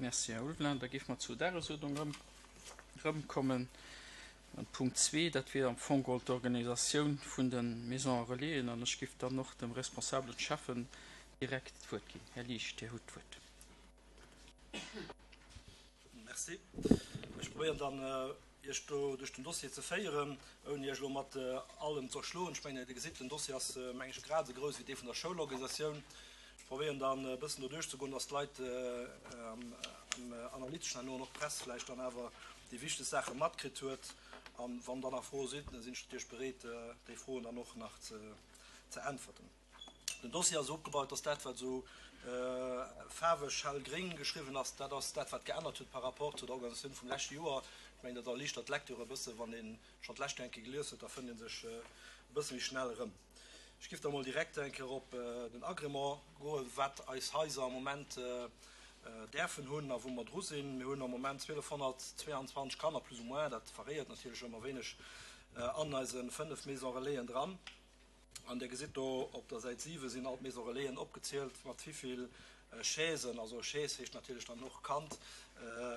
Merci, Här Ulveling. Da géife mer zur Dagesuerdnung erëm erëmkommen. An Punkt zwee, dat wier am Fong geholl d'Organisatioun vun de Maisons relaisen. An ech géif dann och dem responsabelen Schäffen direkt d'Wuert ginn. Här Liesch, Dir hutt d'Wuert. Merci. Ech probéieren dann, Iech do duerch den Dossier ze féieren, ouni Iech elo mat allem ze erschloen. Ech mengen, Dir gesitt, den Dossier ass, meng ech, grad esou grouss wéi dee vun der Schoulorganisatioun. Ech probéieren dann e bëssen do duerchzegoen, dass d'Leit am Analyteschen herno an och d'Press vläicht dann awer déi wichteg Saache matkritt huet. A wann dann nach Froe sinn, sinn ech natierlech bereet, déi Froen dann och nach ze äntwerten. Den Dossier ass esou opgebaut, dass dat, wat esou faarweg hellgréng geschriwwen ass, dat ass dat, wat geännert huet par rapport zu der Organisatioun vum leschte Joer. Ech mengen, dat erliichtert d'Lecture e bësse wann ee schonn d'lescht Joer eng Kéier gelies huet, da fënnt ee sech e bësse méi schnell erëm. Ech giff da mol direkt eng Kéier op den Agrément goen, wat eis Haiser am Moment däerfen hunn a wou mer dru sinn. Mir hunn am Moment 1.222 Kanner, plus ou moins, dat variéiert natierlech ëmmer wéineg, an eise 5 Maisons Relaisen dran. An Dir gesitt do op der Säit 7 sinn all d'Maisons Relaisen opgezielt, mat wivill Chaisen, also Chaise heescht natierlech dann och Kand,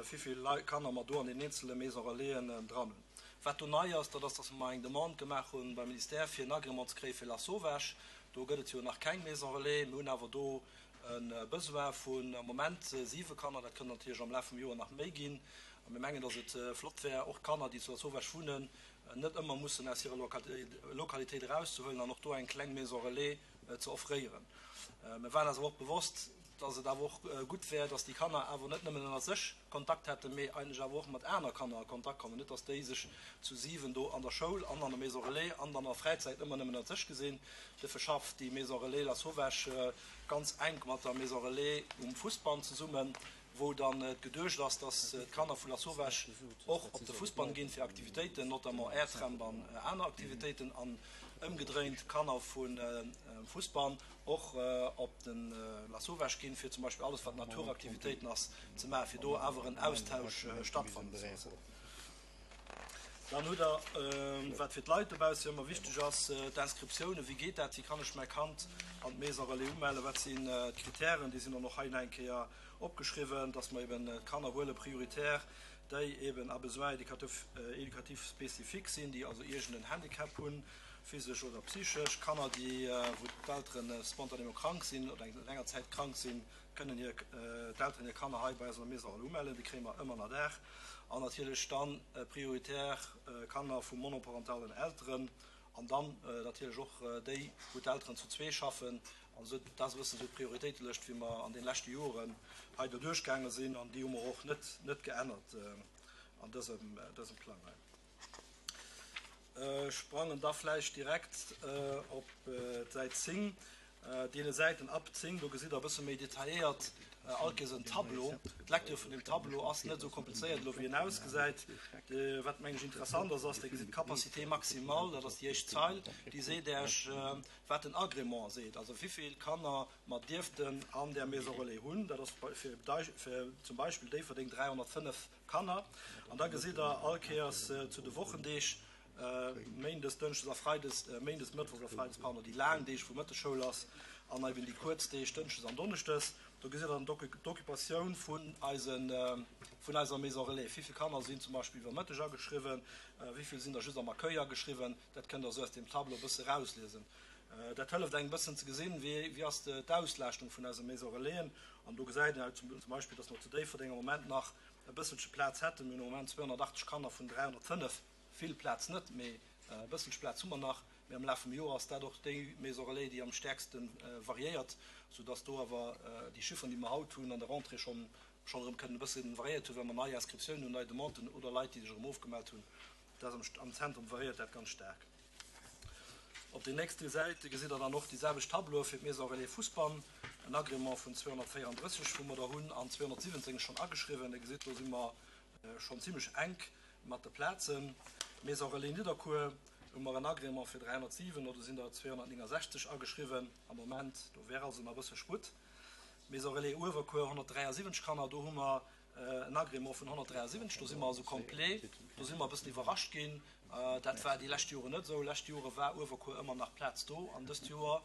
wivill Kanner mer do an den eenzele Maisons Relaisen dran hunn. Wat do nei ass, dat ass, dass mer eng Demande gemaach hu beim Ministère, fir en Agrément ze kréie fir Lasauvage. Do gëtt et jo nach keng Maison Relais. Mir hunn awer do e Besoin vun am Moment siwe Kanner. Dat kënnt natierlech am Laf vum Joer nach méi ginn. A mir mengen, dass et flott wär, och d'Kanner, déi zu Lasauvage wunnen, net ëmmer mussen aus hirer Lokalitéit erauszehuelen an och do eng kleng Maison relais ze offréieren. Mir waren eis awer och bewosst, dass et awer och gutt wär, dass déi Kanner awer net nëmmen ënner sech Kontakt hätten, mee eigentlech awer och mat aner Kanner a Kontakt kommen. Net dass déi sech zu 7 do an der Schoul an an der Maison relais an dann an der Fräizäit ëmmer nëmmen ënner sech gesinn. Duerfir schafft déi Maison relais Lasauvage ganz enk mat der Maison relais um Fussbann zesummen, wou dann et geduecht ass, dass d'Kanner vu Lasauvage och op de Fussbann ginn fir Aktivitéiten, notamment Airtramp an aner Aktivitéiten, an ëmgedréint d'Kanner vum Fussbann och op de Lasauvage ginn, fir zum Beispill alles wat Naturaktivitéiten ass ze maachen, fir do awer en Austausch stattfannen ze loossen. Dann hutt Der, wat fir d'Leit dobausse jo ëmmer wichteg ass, d'Inscriptiounen. Wéi geet dat? Wéi kann ech mäi Kand an d'Maison Relais umellen? Wat sinn d'Kritären? Déi sinn dann och hei nach eng Kéier opgeschriwwen, dass mer eben d'Kanner huele prioritär, déi eben à besoins éducatifs spécifiques sinn, déi also iergend en Handicap hunn, physesch oder psychesch. Kanner, déi, wou d'Eltere spontanément krank sinn oder eng länger Zäit krank sinn, kënnen hir d'Elteren hir Kanner hei bei eis an der Maison Relais umellen. Déi kréie mer ëmmer ënner Daach. An natierlech dann prioritär Kanner vu monoparentalen Elteren an dann natierlech och déi, wou d'Elteren zu zwee schaffen. An esou, dat ass e bëssen esou d'Prioritéitelëscht, wéi mer an de leschte Joren hei doduerch gaange sinn. An déi hu mer och net, net geännert an dësem, dësem Plang hei. Ech sprangen da vläicht direkt op d'Säit 10. Deene Säiten ab 10, do gesitt Der e bësse méi detailléiert all Kéiers en Tableau. D'Lecture vun deem Tableau ass net esou komplizéiert elo, wéi en ausgesäit. Wat, mengen ech, interessant ass, ass, Dir gesitt d'Capacité maximale, dat ass déi éischt Zeil, déi seet Iech, wat den Agrément seet, also wivill Kanner mer dierften an där Maison relais hunn. Dat ass fir zum Beispill Déifferdeng 305 Kanner. An da gesitt Der all Kéiers zu de Wochendeeg, Méindes, Dënschdes a Freides, Méindes, Mëttwochs a Freides, pardon, déi laang Deeg, wou Mëttesschoul ass, an eben déi kuerz Deeg, Dënschdes an Donneschdes. Do gesitt Der dann d'Occupatioun vun eisen, vun eiser Maison relais. Wéi vill Kanner sinn zum Beispill iwwer Mëtteg ageschriwwen, wéi vill sinn der just am Accueil ageschriwwen, dat kënnt Der esou aus deem Tableau e bësse erausliesen. Dat hëlleft engem e bëssen ze gesinn, wéi, wéi ass d'Auslaaschtung vun eise Maison relaisen. An do gesäit een zum Beispill, dass mer zu Déifferdeng am Moment nach e bësselche Plaz hätten. Mir hunn am Moment 280 Kanner vun 305. Vill Plaz net, mee e bësselche Plaz hu mer nach. Mee am Laf vum Joer ass dat och déi Maison relais, déi am stäerkste variéiert, soudass do awer déi Chifferen, déi mer haut hunn, an der Rentrée schonn schonn erëm kënnen e bësse variéiert hunn, well mer nei Inscriptiounen hunn, nei Demanden hunn oder Leit, déi sech erëm ofgemellt hunn. Dat ass am Zentrum variéiert dat ganz staark. Op den nächste Säite gesitt Der dann och déi selwecht Tableaue fir d'Maison relais Fousbann, en Agrément vun 234, wou mer der hunn, an 217 schonn ageschriwwen. Dir gesitt, do si mer schonn zimlech enk mat de Plazen. Maison relais Nidderkuer hu mer en Agrément fir 307, do sinn der 269 ageschriwwen am Moment, do wär also nach e bësse Sputt. Maison relais Uewerkuer 173 Kanner, do hu mer En Agrément vun 173, do si mer also complet. Do si mer e bëssen iwwerrascht ginn. Dat war déi lescht Joren net esou. Lescht Jore war Uewerkuer ëmmer nach Plaz do an dëst Joer,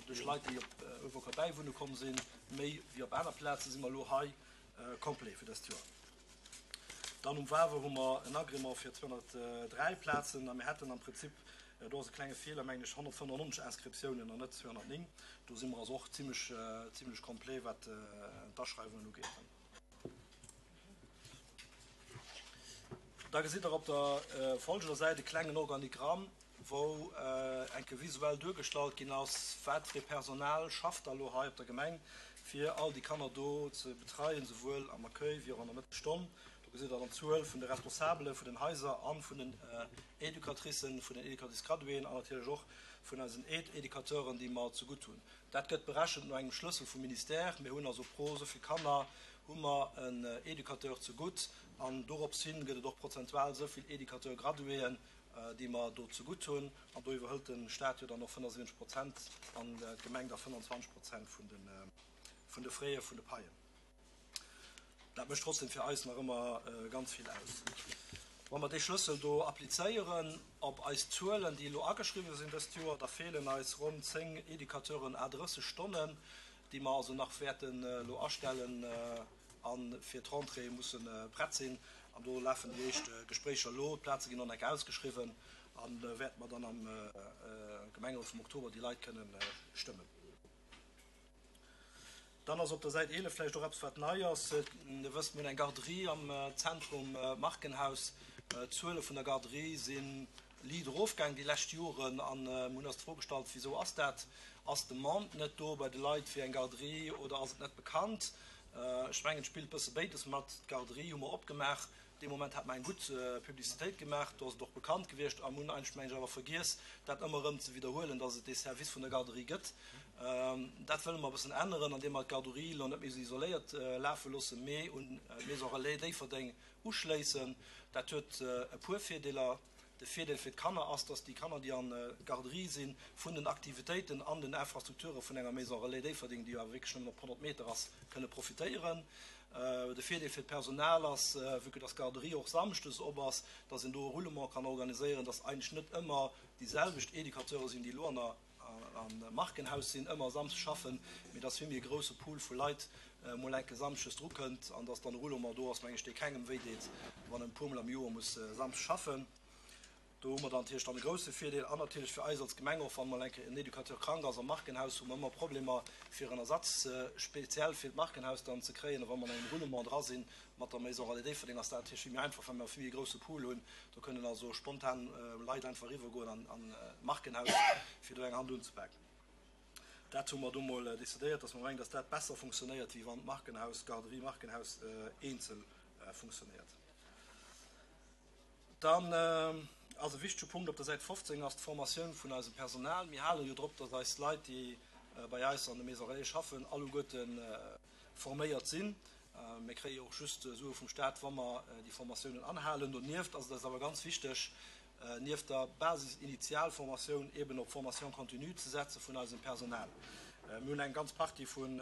duerch Leit, déi op Uewerkuer bäiwunne komm sinn, méi wéi op aner Plazen, si mer elo hei. complet fir dëst Joer. Dann um Wawer hu mer en Agrément fir 203 Plazen a mir hätten am Prinzip, do ass e klenge Feeler, mengen ech, 195 Inscriptiounen an net 209. Do si mer also och zimlech, zimlech complet, wat d'Aschreiwungen ugeet. Da gesitt Der op der folgender Säit e klengen Organigramm, wou eng Kéier visuell duergestallt ginn ass, wat fir ee Personal schafft da lo hei op der Gemeng, fir all déi Kanner do ze betreien, souwuel am Accueil wéi och an der Mëttesstonn. Do gesitt Der dann d'Zuel vun de Responsabele vun den Haiser a vun den Educatricen, vun den Educatrices-graduéen an natierlech och vun eisen Aide-Educateuren, déi mer zegutt hunn. Dat gëtt berechent no engem Schlëssel vum Ministère. Mir hunn also pro esou vill Kanner hu mer en Educateur zegutt an dorops hin gëtt et och prozentual esou vill Educateur-graduéen, déi mer do zegutt hunn. An do iwwerhëlt de Stat jo dann och 75 Prozent an d'Gemeng da 25 Prozent vun de Frais vun de Paien. Dat mécht trotzdem fir eis nach ëmmer ganz vill aus. Wa mer dee Schlëssel do applizéieren op eis Zuelen, déi elo ageschriwwen sinn dëst Joer, da feelen eis ronn 10 Educateuren à 30 Stonnen, déi mer also nach wäerten elo astellen a fir d'Rentrée musse prett sinn. An do lafen déi éischt Gespréicher elo. D'Plaze ginn och nach ausgeschriwwen a wäerte mer dann am Gemengerot vum Oktober déi Leit kënnen stëmmen. Dann ass op der Säit 11 vläicht och eppes, wat nei ass. Dir wësst, mir hunn eng Garderie am Zentrum Markenhaus. D'Zuele vun der Garderie si liit erofgaang déi lescht Joren. A mir hunn eis d'Fro gestallt, Wisou ass dat? Ass d'Demande net do bei de Leit fir eng Garderie oder ass et net bekannt? Ech mengen, et spillt e bësse béides mat. D'Garderie hu mer opgemaach Dee Moment hat mer eng gutt Publicitéit gemaach, do ass et och bekannt gewiescht a mir hunn eigentlech, meng ech, awer vergiess, dat ëmmer erëm ze widderhuelen, dass et dee Service vun der Garderie gëtt. Dat wëlle mer e bëssen änneren, andeem mer d'Garderie elo net méi esou isoléiert lafe loossen, mee un d'Maison Relais Déifferdeng uschléissen. Dat huet e puer Virdeeler. De Virdeel fir d'Kanner ass, dass déi Kanner, déi an d'Garderie sinn, vun den Aktivitéiten an den Infrastrukture vun enger Maison Relais Déifferdeng, déi jo awer wierklech nëmmen op 100 Meter ass, kënne profitéieren. De Virdeel fir d'Personal ass, vue que dass d'Garderie och samschdes op ass, dass een do e Roulement kann organiséieren, dass eigentlech net ëmmer déi selwecht Educateure sinn, déi elo an der am Markenhaus sinn, ëmmer Samsdes schaffen, mee dass vill méi e grousse Pool vu Leit mol enke Samschdes drukënnt an dass dann e Roulement do ass, meng ech, dee kengem wéi deet, wann en e puermol am Joer muss Samsdes schaffen. Do hu mer dann natierlech dann e grousse Virdeel an natierlech fir eis als Gemeng och, wann mol enke en Educateur krank ass am Markenhaus, hu mer ëmmer Problemer fir en Ersatz speziell fir d'Markenhaus dann ze kréien. A wa mer an engem Roulement dra sinn mat der Maison Relais Déifferdeng, ass dat natierlech vill méi einfach, well mer e vill méi grousse Pool hunn. Do kënnen also spontan Leit einfach eriwwergoen an an d'Markenhaus, fir do eng Hand unzepaken. Dat hu mer do mol decidéiert, dass mer mengen, dass dat besser funktionéiert, wéi wann d'Markenhaus, d'Garderie Markenhaus eenzel funktionéiert. Dann ass e wichtege Punkt op der Säit 15 ass d'Formatioun vun eisem Personal. Mir hale jo drop, dass eis Leit, déi bei eis an de Maisons Relais schaffen, alleguerte forméiert sinn. Mir kréie jo och just Sue vum Staat, wa mer déi Formatiounen anhalen. Donieft ass et eis awer ganz wichteg, nieft der Basis-Initialformatioun eeben op Formation continue ze setze vun eisem Personal. Mir hunn eng ganz Partie vun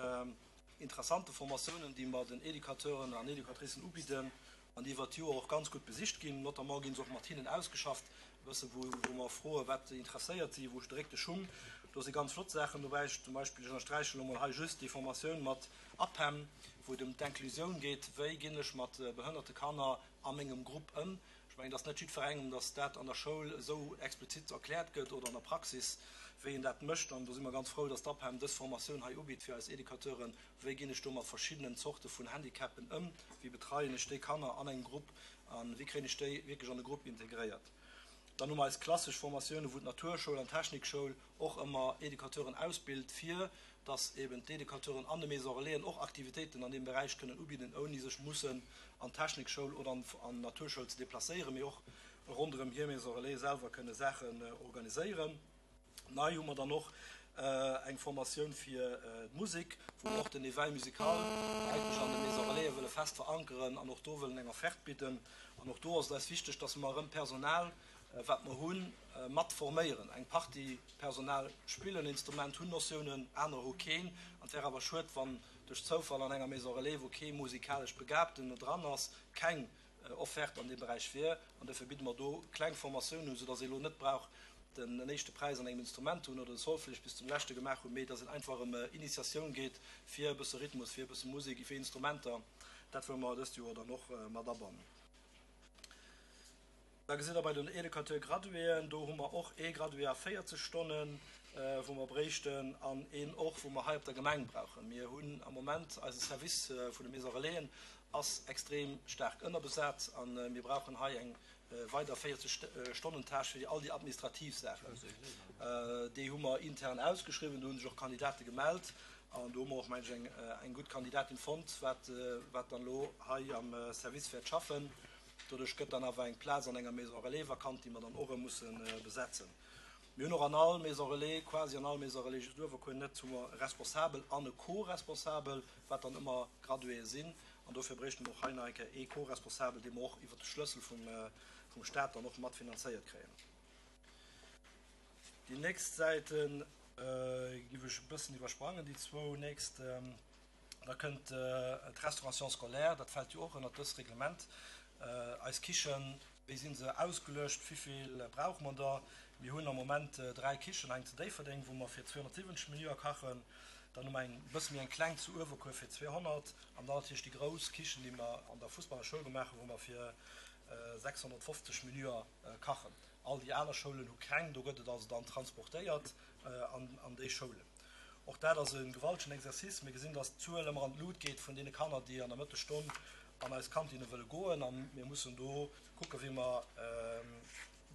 interessante Formatiounen, déi mer den Educateuren an Educatricen ubidden an déi iwwert d'Joer och ganz gutt besicht ginn. Notamment gi se och mat hinnen ausgeschafft, e bësse wou mer froen, wat interesséiert si, wou dréckt de Schung. Do si ganz flott Saachen dobäi. Zum Beispill, ech ënnersträichen elo mol hei just déi Formatioun mat APEM, wou et ëm d'Inclusioun geet, wéi ginn ech mat behënnerte Kanner a mengem Grupp ëm. Ech mengen, et ass net jiddwerengem, datt dat an der Schoul esou explizit erkläert gëtt oder an der Praxis, wéi een dat mécht. An do si mer ganz frou, datt d'APEM dës Formatioun hei ubitt fir eis Educateuren, Wéi ginn ech do mat verschiddenen Zorte vun Handicapen ëm? Wéi betreien ech déi Kanner an engem Grupp a wéi kréien ech déi wierklech an de Grupp integréiert? Dann hu mer eis klassesch Formatiounen, wou d'Naturschoul an d'Technikschoul och ëmmer Educateuren ausbilt, fir dass eben d'Educateuren an de Maisons Relaisen och Aktivitéiten an deem Beräich kënnen ubidden, ouni sech mussen an d'Technikschoul oder an d'Naturschoul ze deplacéieren, mee och ronderëm hir Maison Relais selwer kënne Saachen organiséieren. Nei hu mer dann och eng Formatioun fir d'Musek, wou mer och den Éveil musical eigentlech an de Maisons Relaisen wëlle fest verankeren an och do wëllen eng Offerte bidden. An och do ass et eis wichteg, dass mer erëm Personal, wat mer hunn, mat forméieren. Eng Partie Personal spillen en Instrument, hunn Notiounen, anerer hu keen. An et wär awer schued, wann duerch Zoufall an enger Maison Relais, wou kee musikalesch Begabten dran ass, keng Offerte an deem Beräich wier. An dofir bidde mer do kleng Formatiounen un, soudass ee elo net brauch den éischte Präis an engem Instrument ze hunn oder de Solfège bis zum leschte gemaach hunn, mee dass et einfach ëm Initiatioun geet fir e bësse Rhythmus, fir e bësse Musek, fir Instrumenter. Dat wëlle mer dëst Joer dann och mat abannen. Da gesitt Der bei den Educateur-Graduéen, do hu mer och ee Gradué a 40 Stonnen, wou mer bréichten, an een och, wou mer hei op der Gemeng brauchen. Mir hunn am Moment, eise Service vun de Maisons Relaisen ass extrem staark ënnerbesat a mir brauchen hei eng weider 40 Stonnen-Tâche fir all déi administrativ Saachen. Déi hu mer intern ausgeschriwwen, do hu sech och Kandidate gemellt an do hu mer och, mengen ech, eng gutt Kandidatin fonnt, wat dann elo hei am Service wäert schaffen. Doduerch gëtt dann awer eng Plaz an enger Maison Relais vakant, déi mer dann och erëm musse besetzen. Mir hunn och an all Maison Relais, quasi an all Maison Relais, just Uewerkuer net, hu mer e Responsabel an e Co-Responsabel, wat dann ëmmer Graduéë sinn. An dofir bréichte mer och hei nach eng Kéier ee Co-Responsabel, dee mer och iwwert de Schlëssel vum Stat dann och matfinanzéiert kréien. Déi nächst Säite giff ech e bëssen iwwersprangen, déi zwou nächst. Da kënnt d'Restauration scolaire, dat fält jo och ënnert dës Reglement. Eis Kichen, wéi si se ausgeluecht, wivill brauche mer der? Mir hunn am Moment 3 Kichen, eng zu Déifferdeng, wou mer fir 270 Menüer kachen, dann hu mer eng e bësse méi eng kleng zu Uewerkuer fir 200 an dann natierlech déi grouss Kichen, déi mer an der Fussballer Schoul gemaach hunn, wou mer fir 650 Menüer kachen. All déi aner Schoulen hu keng, do gëtt et also dann transportéiert an déi Schoulen. Och dat ass e gewaltegen Exercice. Mir gesinn, dass d'Zuel ëmmer an d'Lut geet vun deene Kanner, déi an der Mëttesstonn an eis Kantinne wëlle goen. A mir mussen do kucken, wéi mer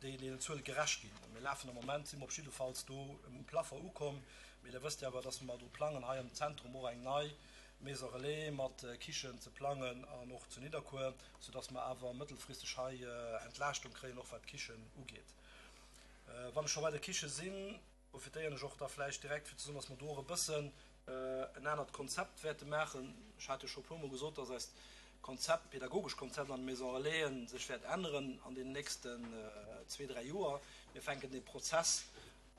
deenen Zuele gerecht ginn. Mir lafen am Moment, si mer op jiddefalls do um Plafond ukomm. Mee Der wësst jo awer, dass mer dru plangen, hei am Zentrum och eng nei Maison Relais mat Kichen ze plangen an och zu Nidderkuer, soudass mer awer mëttelfristeg hei Entlaaschtung kréien, och wat d'Kichen ugeet. Wann ech scho bei der Kiche sinn, profitéieren ech och da vläicht direkt fir ze soen, dass mer do och e bëssen en anert Konzept wäerte maachen. Ech hat jo scho e puermol gesot, dass eist Konzept, pedagogesch Konzept an de Maison Relaisen sech wäert änneren an deenen nächsten zwee, dräi Joer. Mir fänken dee Prozess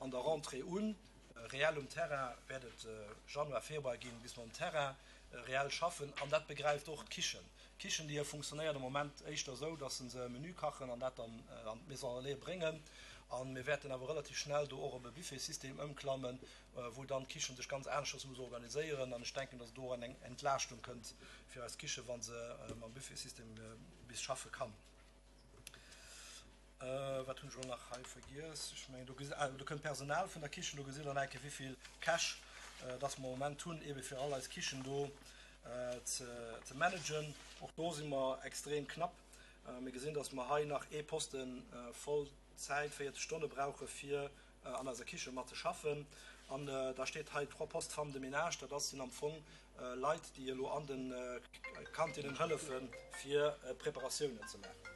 an der Rentrée un. Reell um Terrain wäert et Januar, Februar ginn, bis mer um Terrain reell schaffen. An dat begräift och d'Kichen. D'Kichendier funktionéiert am Moment éischter esou, dass se e Menü kachen an dat dann an d'Maison Relais bréngen. A mir wäerten awer relativ schnell do och op e Buffetsystem ëmklammen, wou dann d'Kichen sech ganz aneschters muss organiséieren. An ech denken, dass do och eng Entlaaschtung kënnt fir eis Kiche, wa se mam Buffetsystem bis schaffe kann. Wat hunn ech elo nach hei vergiess? Ech mengen, do gesi, ah, do kënnt d'Personal vun der Kichen. Do gesitt Der nach eng Kéier, wéi vill Käch dass mer am Moment hunn, eebe fir all eis Kichen do ze managen. Och do si mer extrem knapp. Mir gesinn, dass mer hei nach ee Poste Vollzäit, 40 Stonne brauche fir an eiser Kiche mat ze schaffen. An da steet hei trois postes femmes de ménage. Dat ass sinn am Fong Leit, déi elo an de Kantinnen hëllefen, fir Preparatiounen ze maachen.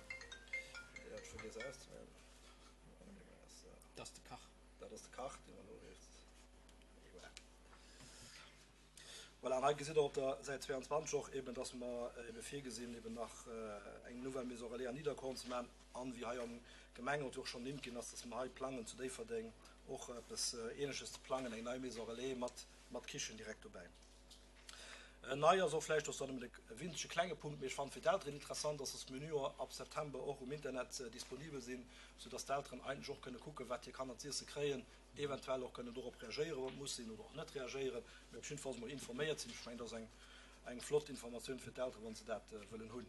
Dat ass de Kach. Dat ass de Kach, dee mer elo riets. Voilà, an hei gesitt Der op der Säit 22 och eben, dass mer ebe virgesinn, eben nach eng nouvelle Maison relais an Nidderkorn ze maachen an, wéi hei am Gemengerot jo och schonn ernimmt ginn ass, dass mer hei plangen, zu Déifferdeng och eppes Ähnleches ze plangen, eng nei Maison relais mat, mat Kichen direkt dobäi. Nei ass och vläicht, ass dann nëmmen e winzege klenge Punkt, mee ech fannen fir d'Elteren interessant, dass dass Menüer ab September och um Internet disponibel sinn, soudass d'Elteren eigentlech och kënne kucken, wat hir Kanner z'iesse kréien, eventuell och kënnen dorop reagéieren, wann et muss sinn, oder och net reagéieren, mee op jiddefalls emol informéiert sinn. Ech mengen, dat ass eng, eng flott Informatioun fir d'Elteren, wa se dat wëllen hunn.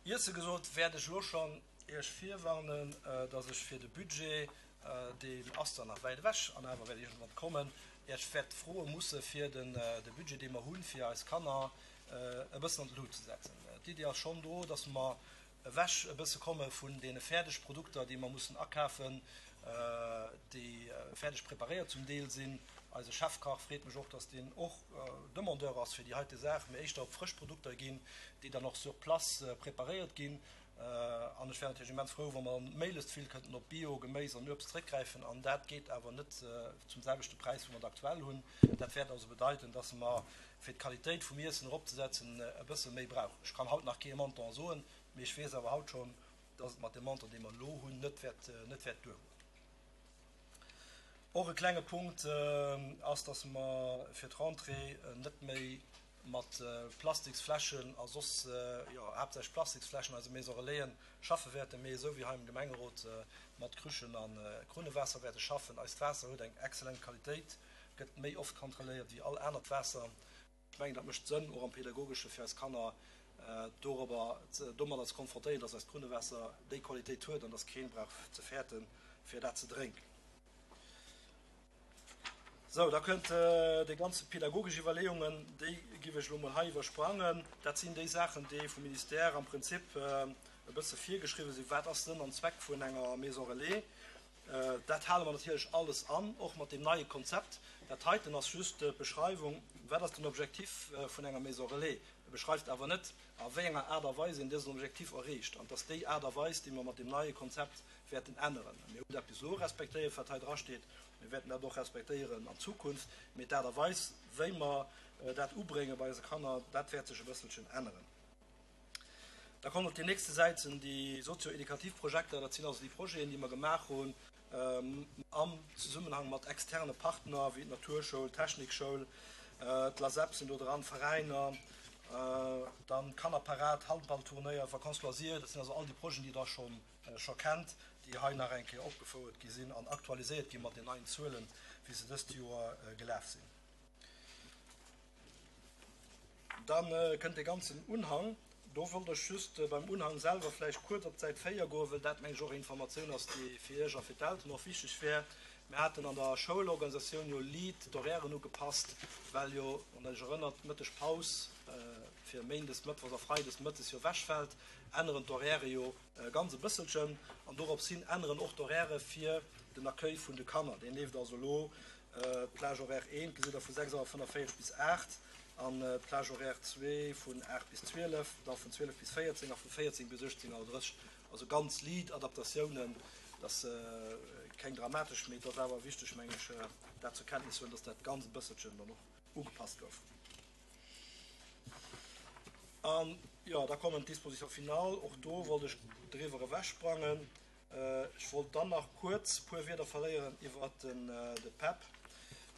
Iesse gesot, wäert ech elo schonn Iech virwarnen, dass ech fir de Budget, deen ass zwar nach wäit ewech an awer wäert iergendwann kommen, Iech wäert froe musse fir den, de Budget, dee mer hunn, fir eis Kanner e bëssen an d'Lut ze setzen. D'Iddi ass schonn do, dass mer ewech e bësse komme vun deene Fäerdegprodukter, déi mer mussen akafen, déi fäerdeg preparéiert zum Deel sinn. Eise Chefkach freet mech och, dass deen och Demandeur ass fir déi heite Saach, mee éischter op frësch Produkter ginn, déi dann och sur place preparéiert ginn. An ech wär natierlech immens frou, wa mer méiglechst vill kënnten op Bio Geméis an Uebst zréckgräifen. An dat geet awer net zum selwechte Präis, wou mer et aktuell hunn. Dat wäert also bedeiten, dass mer, fir d'Qualitéit vum Iessen eropzesetzen, e bësse méi brauchen. Ech kann haut nach kee Montant soen, mee ech weess awer haut schonn, dass et mat deem Montant, dee mer elo hunn, net wäert, net wäert duergoen. Och e klenge Punkt ass, dass mer fir d'Rentrée net méi mat Plastiksfläschen a soss, jo, haaptsächlech Plastiksfläschen eise Maison Relaisen schaffe wäerten, mee esou wéi hei am Gemengerot mat Krüchen a Krunnewaasser wäerte schaffen. Eist Waasser huet eng exzellent Qualitéit, gëtt méi oft kontrolléiert wéi all anert Waasser. Ech mengen, dat mécht Sënn, och am Pedagogesche fir eis Kanner dorobber, domadder ze konfrontéieren, dass eist Krunnewaasser déi Qualitéit huet an dass keen brauch ze fäerten, fir dat ze drénken. Sou, da kënnt déi ganze pedagogesch Iwwerleeungen, déi giff ech elo mol hei iwwersprangen. Dat sinn déi Saachen, déi vum Ministère am Prinzip e bësse virgeschriwwen sinn. Wat ass Sënn an Zweck vun enger Maison relais? Dat hale mer natierlech alles an, och mat deem neie Konzept. Dat heiten ass just d'Beschreiwung, wat ass den Objectif vun enger Maison relais. E beschreift awer net, a wéi enger Aart a Weis een dësen Objectif erreecht. An et ass déi Aart a Weis, déi mer mat deem neie Konzept wäerten änneren. Mir hunn dat bis elo respektéiert, wat hei drasteet. Mir wäerten dat och respektéieren an Zukunft. Mee d'Aart a Weis, wéi mer dat ubrénge bei eise Kanner, dat wäert sech e bësselchen änneren. Da kommen op déi nächste Säit sinn déi sozio-edukativ Projekter. Dat sinn also déi Projeten, déi mer gemaach hunn am Zesummenhang mat externe Partner wéi d'Naturschoul, d'Technikschoul, d'LASEP sinn do dran, Veräiner, dann d'Kannerparad, Handballturnéier, Vacances loisirs. Dat sinn also all déi Projeten, déi Der scho scho kennt, déi hei nach eng Kéier opgefouert gi sinn an aktualiséiert gi mat den neien Zuelen, wéi se dëst Joer gelaf sinn. Da kënnt dee ganzen Unhang. Do wollt ech just beim Unhang selwer vläicht kuerz op d'Säit 4 goen, well dat, meng ech, och eng Informatioun ass, déi fir Iech a fir d'Elteren och wichteg wär. Mir haten an der Schoulorganisatioun jo liit d'Horairen ugepasst, well jo, wann Der Iech erënnert, d'Mëttegpaus fir méindes, mëttwochs a freides mëttes jo ewechfält, änneren d'Horairë jo ganz e bësselchen an dorops hin änneren och d'Horairë fir den Accueil vun de Kanner. Deen leeft also elo, d'Plage horaire 1 gesitt Der vu 6 Auer 45 bis 8 an d'Plage horaire 2 vun 8 bis 12, da vun 12 bis 14 a vu 14 bis 18 Auer 30. Also ganz liit Adaptatiounen, dat ass keng dramatesch, mee et ass awer wichteg, meng ech, dat zur Kenntnis ze huelen, dass dat ganz e bësselchen dann och ugepasst gouf. An, jo, da kommen d'Dispositions finales. Och do wollt ech driwwer ewechsprangen. Ech wollt dann nach kuerz e puer Wierder verléieren iwwert de PEP.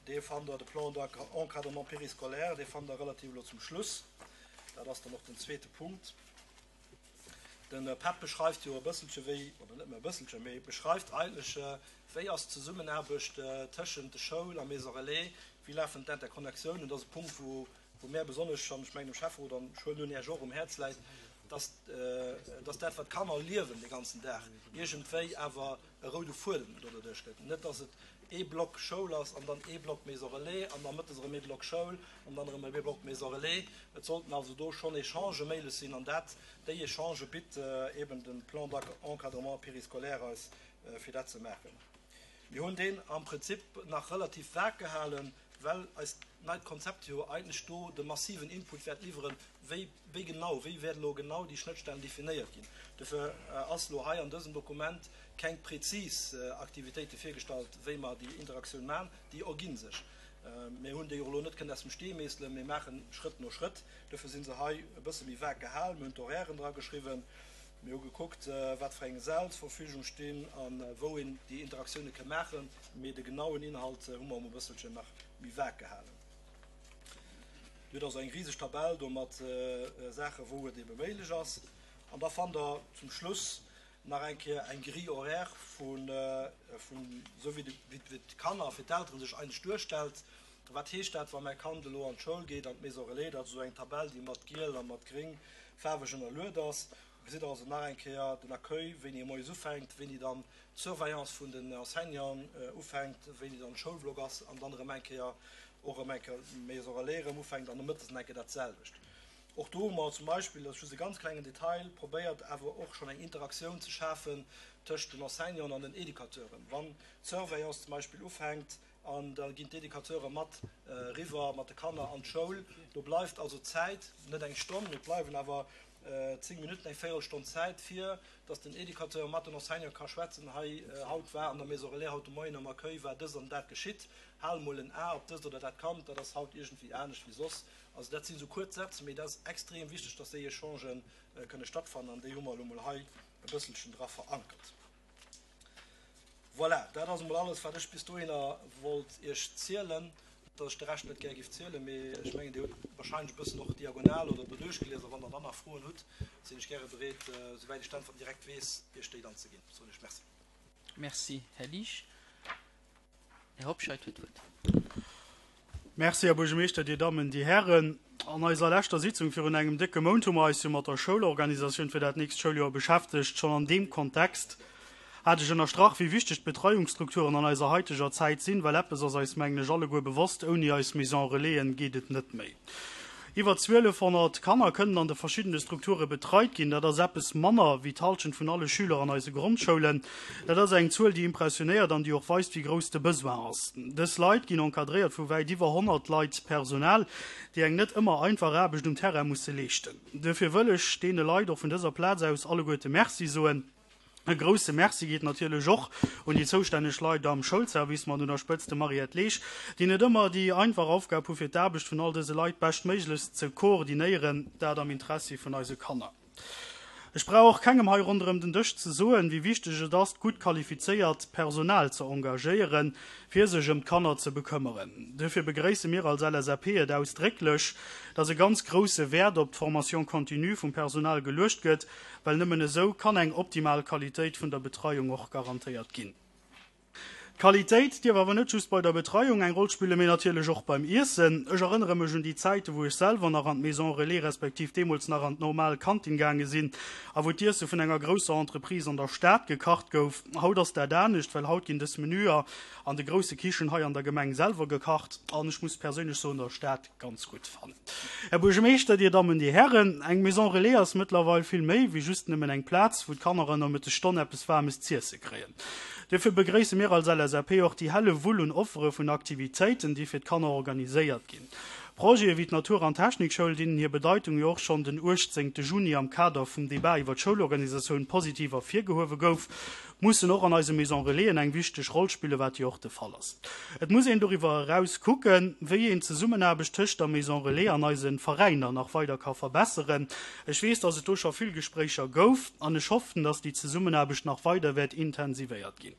Dee fannt Der, de Plan d'encadrement périscolaire, dee fannt Der relativ elo zum Schluss. Dat ass dann och den zweete Punkt. De PEP beschreift jo e bësselche wéi, oder net méi e bësselche, mee beschreift eigentlech, wéi ass d'Zesummenaarbecht tëschent de Schoul a Maison Relais, wéi lafen d'Interconnectiounen. Dat ass e Punkt, wou mär besonnesch, an ech mengen dem Schäfferot an ech huelen un Iech och, um Häerz läit, dass, dass dat, wat d'Kanner liewen de ganzen Dag, iergendwéi awer e roude Fuedem doduerch gëtt. Net, dass et ee Block Schoul ass an dann ee Block Maison Relais an da mëttes erëm ee Block Schoul an dann erëm ee Block Maison Relais. Et sollten also do schonn Echangë méiglech sinn an dat, déi Echangë bitt eben de Plan d'encadrement périscolaire eis, fir dat ze maachen. Mir hunn deen am Prinzip nach relativ vag gehalen, well eist neit Konzept jo eigentlech do de massiven Input wäert liwweren, wéi, wéi genau, wéi wäert elo genau déi Schnëttstellen definéiert ginn. Dofir ass elo hei an dësem Dokument keng prezis Aktivitéite virgestallt, wéi mer déi Interaktioun maachen. Déi ergi sech. Mir hunn déi och elo net kënnen aus dem Stee meesselen, mir maachen Schrëtt no Schrëtt. Dofir si se hei e bësse méi vag gehalen. Mir hunn d'Horairen dra geschriwwen. Mir hu gekuckt, wat fir eng Säll zur Verfügung stinn a wou een déi Interaktioune ka maachen, mee de genauen Inhalt hu mer emol e bësselchen nach méi vag gehalen. Dir hutt also eng riseg Tabell do mat Saachen, wou et ebe méiglech ass. An da fannt Der zum Schluss nach eng Kéier eng Grille horaire vun, esou wéi d'Kanner fir d'Elteren sech eigentlech duerstellt. Wat heescht dat, wa mäi Kand elo an d'Schoul geet, an d'Maison Relais? Dat ass esou eng Tabell, déi mat giel a mat gréng faarweg ënnerluet ass. Do gesitt Der also nach eng Kéier den Accueil, wéini e moies ufänkt, wéini dann d'Surveillance vun den Enseignanten ufänkt, wéini dann de Schoulblock ass an dann erëm eng Kéier och erëm eng Kéier d'Maison Relais erëm ufänkt an nomëttes nach eng Kéier dat selwecht. Och do hu mer zum Beispill, dat ass just e ganz klengen Detail, probéiert awer och schonn eng Interaktioun ze schafen tëscht den Enseignanten an den Educateuren. Wann d'Surveillance zum Beispill ufänkt, An da ginn d'Educateure mat eriwwer mat de Kanner an d'Schoul. Do bleift also Zäit, net eng Stonn, mee et bleiwen awer 10 Minutten, eng Véierelstonn Zäit, fir datt den Educateur mat den Enseignante ka schwätzen, Hei, haut war an der Maison Relais, haut de Moien am Accueil war dëst an dat geschitt. Hal mol en A op dëst oder dat Kand, dat ass haut iergendwéi anescht wéi soss. Also dat sinn esou kuerz Sätz, mee dat ass extrem wichteg, datt déi Echangen kënne stattfannen an déi hu mer elo mol hei e bësselchen dra verankert. Voilà, dat ass emol alles, wat ech bis dohinner wollt Iech zielen. Net, datt ech de Rescht net gär géif zielen, mee ech mengen, Dir hutt wahrscheinlech e bëssen och diagonal oder doduerch gelies. A wann Der dann nach Froen hutt, sinn ech gäre bereet, souwäit ech d'Äntwerten direkt weess, Iech déi dann ze ginn. Soen ech Merci. Merci, Här Liesch. Här Hobscheit huet d'Wuert. Merci, Här Buergermeeschter, Dir Dammen, Dir Hären. An eiser leschter Sitzung virun engem décke Mount hu mer eis jo mat der Schoulorganisatioun fir dat nächst Schouljoer beschäftegt. Schonn an deem Kontext hat ech ënnerstrach, wéi wichteg d'Betreiungsstrukturen an eiser haiteger Zäit sinn, well eppes ass eis, mengen ech, alleguer bewosst, Ouni eis Maison Relaisen geet et net méi. Iwwer 1.200 Kanner kënnen an de verschiddene Strukture betreit ginn. Dat ass eppes manner wéi d'Hallschent vun alle Schüler an eise Grondschoulen. Dat ass eng Zuel, déi impressionéiert an déi och weist, wéi grouss de Besoin ass. Dës Leit ginn encadréiert vu wäit iwwer 100 Leit Personal, déi eng net ëmmer einfach Aarbecht um Terrain musse leeschten. Duerfir wëll ech deene Leit och vun dëser Plaz aus alleguerte Merci soen. E grousse Merci geet natierlech och un déi zoustänneg Leit am Schoulservice, mat un der Spëtzt dem Mariette Leesch, déi net ëmmer déi einfach Aufgab hu fir d'Aarbecht vun all dëse Leit beschtméiglechst ze koordinéieren, dat am Interessi vun eise Kanner. Ech brauch och kengem hei ronderëm den Dësch ze soen, wéi wichteg et ass, gutt qualifizéiert Personal ze engagéieren, fir sech ëm d'Kanner ze bekëmmeren. Duerfir begréisse mir als LSAP et ausdrécklech, dass e ganz grousse Wäert op d'Formation continue vum Personal geluecht gëtt, well nëmmen esou kann eng optimal Qualitéit vun der Betreiung och garantéiert ginn. D'Qualitéit dierf awer net just bei der Betreiung eng Roll spillen, mee natierlech och beim Iessen. Ech erënnere mech un déi Zäiten, wou ech selwer nach an d'Maison Relais respektiv deemools nach an d'normal Kantin gaange sinn a wou d'Iesse vun enger grousser Entreprise an der Stad gekacht gouf. Haut ass dat anescht, well haut ginn dës Menüer an de grousse Kichen hei an der Gemeng selwer gekacht an ech muss perséinlech soen, der Stad ganz gutt fannen. Här Buergermeeschter, Dir Dammen, Dir Hären, eng Maison Relais ass mëttlerweil vill méi wéi just nëmmen eng Plaz, wou d'Kanner an der Mëttesstonn eppes Waarmes z'iesse kréien. Duerfir begréisse mir als LSAP och déi helle Wull un Offere vun Aktivitéiten, déi fir d'Kanner organiséiert ginn. Projete wéi d'Natur an Technikschoul, deenen hir Bedeitung jo och schonn den 18 Juni am Kader vum Debat iwwer d'Schoulorganisatioun positiv ervirgehuewe gouf, mussen och an eise Maison Relaisen eng wichteg Roll spillen, wat jo och de Fall ass. Et muss een doriwwer eraus kucken, wéi een d'Zesummenaarbecht tëscht der Maison Relais an eise Veräiner nach weider ka verbesseren. Ech weess, dass et do scho vill Gespréicher gouf an ech hoffen, dass déi Zesummenaarbecht nach weider wäert intensivéiert ginn.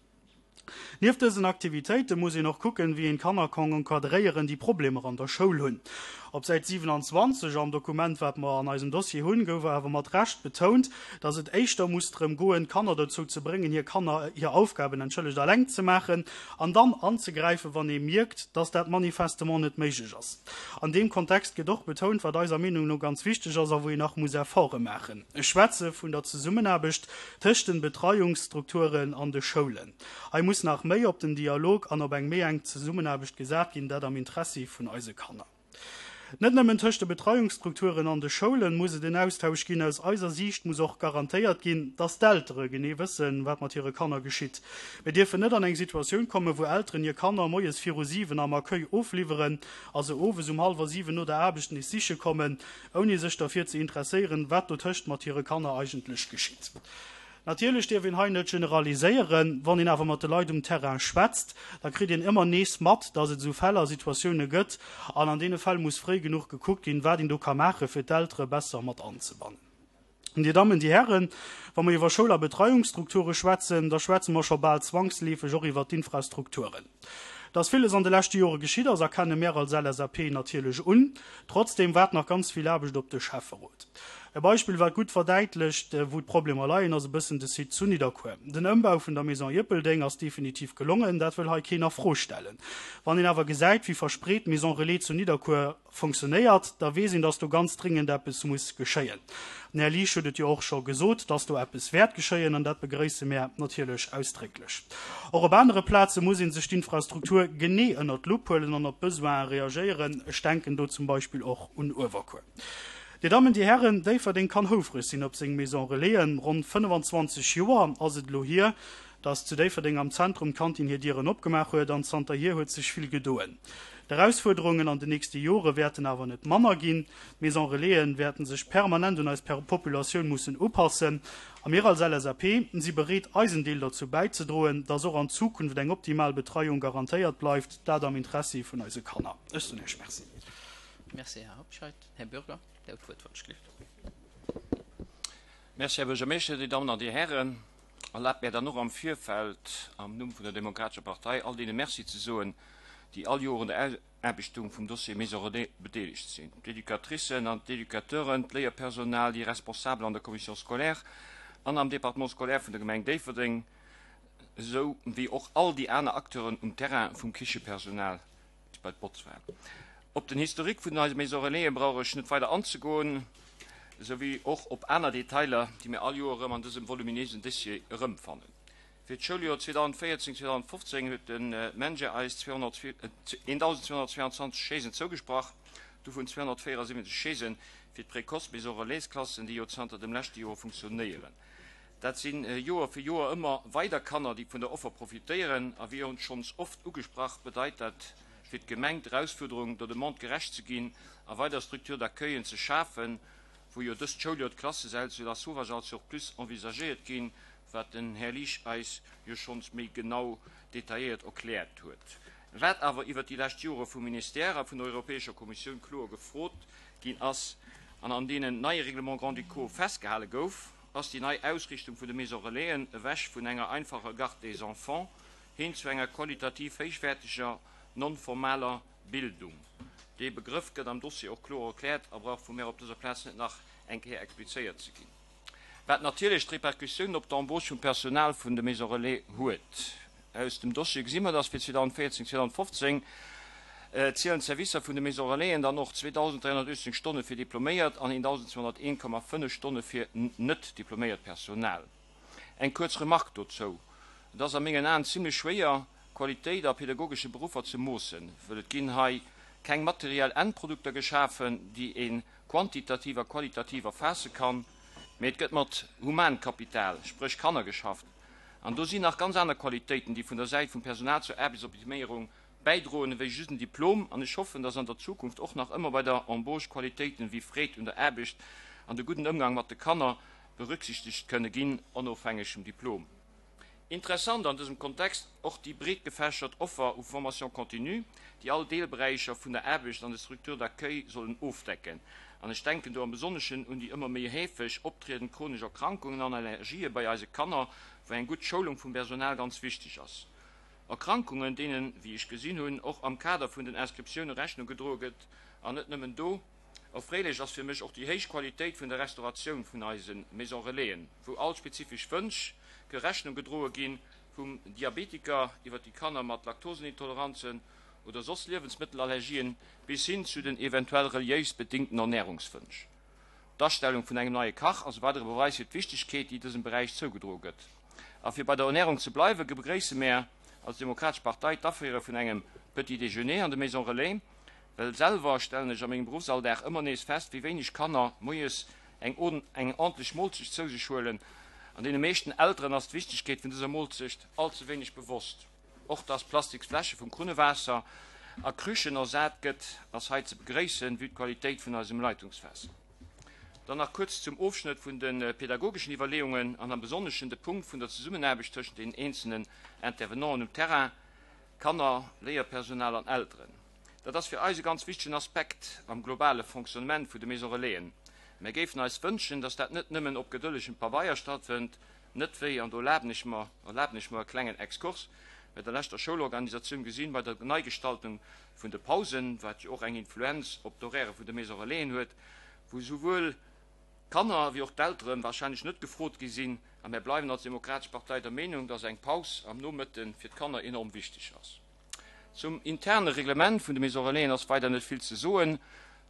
Nieft dësen Aktivitéite muss een och kucken, wéi een d'Kanner kann encadréieren, déi Problemer an der Schoul hunn. Op Säit 27 am Dokument, wat mer an eisem Dossier hunn, gouf awer mat Recht betount, dass et éischter muss drëm goen, d'Kanner dozou ze bréngen, hir Kanner, hir Aufgaben, entschëllegt, eleng ze maachen an dann anzegräifen, wann ee mierkt, dass dat manifestement net méiglech ass. An deem Kontext gëtt och betount, wat eiser Meenung no ganz wichteg ass a wou een nach muss Efforte maachen, ech schwätze vun der Zesummenaarbecht tëscht den Betreiungsstrukturen an de Schoulen. Hei muss nach méi op den Dialog an op eng méi enk Zesummenaarbecht gesat ginn, dat am Interessi vun eise Kanner. Net nëmmen tëscht de Betreiungsstrukturen an de Schoulen muss et en Austausch ginn. Aus eiser Siicht muss och garantéiert ginn, dass d'Eltere genee wëssen, wat mat hire Kanner geschitt. Mir dierfen net an eng Situatioun kommen, wou Elteren hir Kanner moies viru 7 am Accueil ofliwweren a se owes um hallwer 7 no der Aarbecht nees siche kommen, ouni sech derfir ze interesséieren, wat dotëscht mat hire Kanner eigentlech geschitt. Natierlech dierf een hei net generaliséieren. Wann een awer mat de Leit um Terrain schwätzt, da kritt een ëmmer nees mat, dass et esou Fäll a Situatioune gëtt. An an deene Fäll muss fréi genuch gekuckt ginn, wat een do ka maachen, fir d'Eltere besser mat anzebannen. Dir Dammen, Dir Hären, wa mer iwwer Schoul a Betreiungsstrukture schwätzen, da schwätze mer scho bal zwangsleefeg och iwwert d'Infrastrukturen. Dass villes an de leschte Jore geschitt ass, erkenne mär als LSAP natierlech un. Trotzdeem waart nach ganz vill Aarbecht op de Schäfferot. E Beispill, wat gutt verdäitlecht, wou d'Problemer leien, ass e bëssen de Site zu Nidderkuer. Den Ëmbau vun der Maison Ierpeldeng ass definitiv gelongen, dat wëll hei keen a Fro stellen. Wann een awer gesäit, wéi verspreet d'Maison Relais zu Nidderkuer fonctionnéiert, da weess een, dass do ganz dringend eppes muss geschéien. Den Här Liesch huet et jo och scho gesot, dass do eppes wäert geschéien, an dat begrëisse mär natierlech ausdrécklech. Och op anere Plaze muss ee sech d'Infrastruktur genee ënnert d'Lupp huelen an op d'Besoine reagéieren. Ech denken do zum Beispill och un Uewerkuer. Dir Dammen, Dir Hären, Déifferdeng kann houfreg sinn op seng Maison Relaisen. Ronn 25 Joer ass et elo hier, dass zu Déifferdeng am Zentrum d'Kantin hir Dieren opgemaach huet an zanterhier huet sech vill gedoen. D'Erausfuerderungen an den nächste Jore wäerten awer net manner ginn. D'Maison Relaisen wäerten sech permanent un eis Populatioun mussen upassen a mir als LSAP si bereet eisen Deel derzou bäizedroen, dass och an Zukunft eng optimal Betreiung garantéiert bleift, dat am Interessi vun eise Kanner. Ech soen Iech Merci. Merci, Här Hobscheit. Här Bürger, Dir hutt d'Wuert, wann ech gleeft. Merci, Här Buergermeeschter, Dir Dammen an Dir Hären. Erlaabt mär dann och am Virfeld am Numm vun der Demokratescher Partei all deene Merci ze soen, déi all Joer un der Ausaarbechtung vum Dossier Maison Relais bedeelegt sinn, d'Educatricen an d'Educateuren, d'Léierpersonal, déi Responsabel an der Commission scolaire an am Département scolaire vun der Gemeng Déifferdeng, esou wéi och all déi aner Acteuren um Terrain, vum Kichepersonal bis bei d'Botzfra. Op den Historique vun eise Maison Relaisen brauch ech net weider anzegoen, esou wéi och op aner Detailer, déi mir all Joer erëm an dësem voluminéisen Dossier erëmfannen. Fir d'Schouljoer 2014, 2015 huet de MENJE eis 1.222 Chaisen zougesprach, dovun 274 Chaisen fir d'Précoce Maison Relais-Klassen, déi jo zanter dem leschte Joer funktionéieren. Dat si Joer fir Joer ëmmer weider Kanner, déi vun der Offer profitéieren. A wéi schonns oft ugesprach, bedeit dat fir d'Gemeng d'Erausfuerderung, der Demande gerecht ze ginn a weider Structures d'accueillen ze schafen, wou jo dëst Schouljoer d'Klassesäll zu Lasauvage als sur plus envisagéiert ginn, wat den Här Liesch eis jo schonns méi genau detailléiert erkläert huet. Wat awer iwwert déi lescht Jore vum Ministère a vun der Europäescher Kommissioun kloer gefrot ginn ass an an deenen neie Règlements grand-ducaux festgehale gouf, ass déi nei Ausrichtung vun de Maisons relaisen ewech vun enger einfacher Garde des enfants hin zu enger qualitativ héichwäerteger non-formaler Bildung. Dee Begrëff gëtt am Dossier och kloer erkläert a brauch vu mär op dëser Plaz net nach eng Kéier explizéiert ze ginn. Wat natierlech d'Repercussioun op d'Embauche vum Personal vun de Maisons Relais huet. Aus dem Dossier gesi mer, dass fir 2014, 2015 zielen d'Servicer vun de Maisons Relaisen dann och 2.318 Stonne fir diploméiert an 1.201,5 Stonne fir net diploméiert Personal. Eng kuerz Remarque dozou, Et ass a mengen Aen zimlech schwéier, Qualitéit a pedagogesche Beruffer ze moossen, wëll et ginn hei keng materiell Endprodukter geschafen, déi ee quantitativ a qualitativ erfaasse kann, mee et gëtt mat Humankapital, spréch Kanner, geschafft an do sinn nach ganz aner Qualitéiten, déi vun der Säit vum Personal zur Aarbechtsoptiméierung bäidroen, ewéi just en Diplom. An ech hoffen, dass an der Zukunft och nach ëmmer bei der Embauche Qualitéiten ewéi Freed un der Aarbecht an de gudden Ëmgang mat de Kanner berücksichtegt kënne ginn, onofhängeg vum Diplom. Interessant an dësem Kontext och déi breetgefächert Offer u Formation continue, déi all Deelberäicher vun der Aarbecht an de Structures d'accueil sollen ofdecken. An ech denken do am Besonneschen un déi ëmmer méi heefeg optriedend chronesch Erkrankungen an Allergië bei eise Kanner, wou eng gutt Schoulung vum Personal ganz wichteg ass. Erkrankungen, deenen, wéi ech gesinn hunn, och am Kader vun den Inscriptioune Rechnung gedroe gëtt, an net nëmmen do. Erfreelech ass fir mech och déi héich Qualitéit vun der Restauratioun vun eise Maison Relaisen, wou all spezifesch Wënsch ke Rechnung gedroe ginn, vum Diabetiker iwwer déi Kanner mat Laktosenintoleranzen oder soss Liewensmëttelallergien bis hin zu den eventuell reliéis bedingten Ernärungswënsch. D'Astellung vun engem neie Kach ass e weidere Beweis fir d'Wichtegkeet, déi dësem Beräich zougedroe gëtt. A fir bei der Ernärung ze bleiwen, begréisse mär als Demokratesch Partei d'Aféiere vun engem Petit déjeuner an de Maisons Relais, Well selwer stellen ech a mengem Beruffsalldag ëmmer nees fest, wéi wéineg Kanner moies eng eng ordentlech Moolzecht zou sech huelen. An deene meeschten Elteren ass d'Wichtegkeet vun dëser Moolzecht all ze wéineg bewosst. Och dass plastiks Fläsche vum Krunnewaasser a Krüchen ersat gëtt, ass hei ze begréissen, vue d'Qualitéit vun eisem Leitungswaasser. Dann nach kuerz zum Ofschnëtt vun de pedagogeschen Iwwerleeungen an am Besonneschen de Punkt vun der Zesummenaarbecht tëschent den eenzelnen Intervenanten um Terrain, Kanner, Léierpersonal an Elteren. Dat ass fir eis e ganz wichtegen Aspekt am globale Fonctionnement vu de Maison Relaisen. Mär géifen eis wënschen, dass dat net nëmmen op gedëllegem Pabeier stattfënnt, net wéi, an do erlaben ech mer, erlaben ech mer e klengen Exkurs, bei der leschter Schoulorganisatioun gesinn, bei der Neigestaltung vun de Pausen, wat jo och eng Influenz op d'Horairë vun de Maison Relaisen huet, wou souwuel d'Kanner wéi och d'Eltere wahrscheinlech net gefrot gi sinn. A mär bleiwen als Demokratesch Partei der Meenung, dass eng Paus am Nomëtte fir d'Kanner enorm wichteg ass. Zum interne Reglement vun de Maisons Relaisen ass weider net vill ze soen.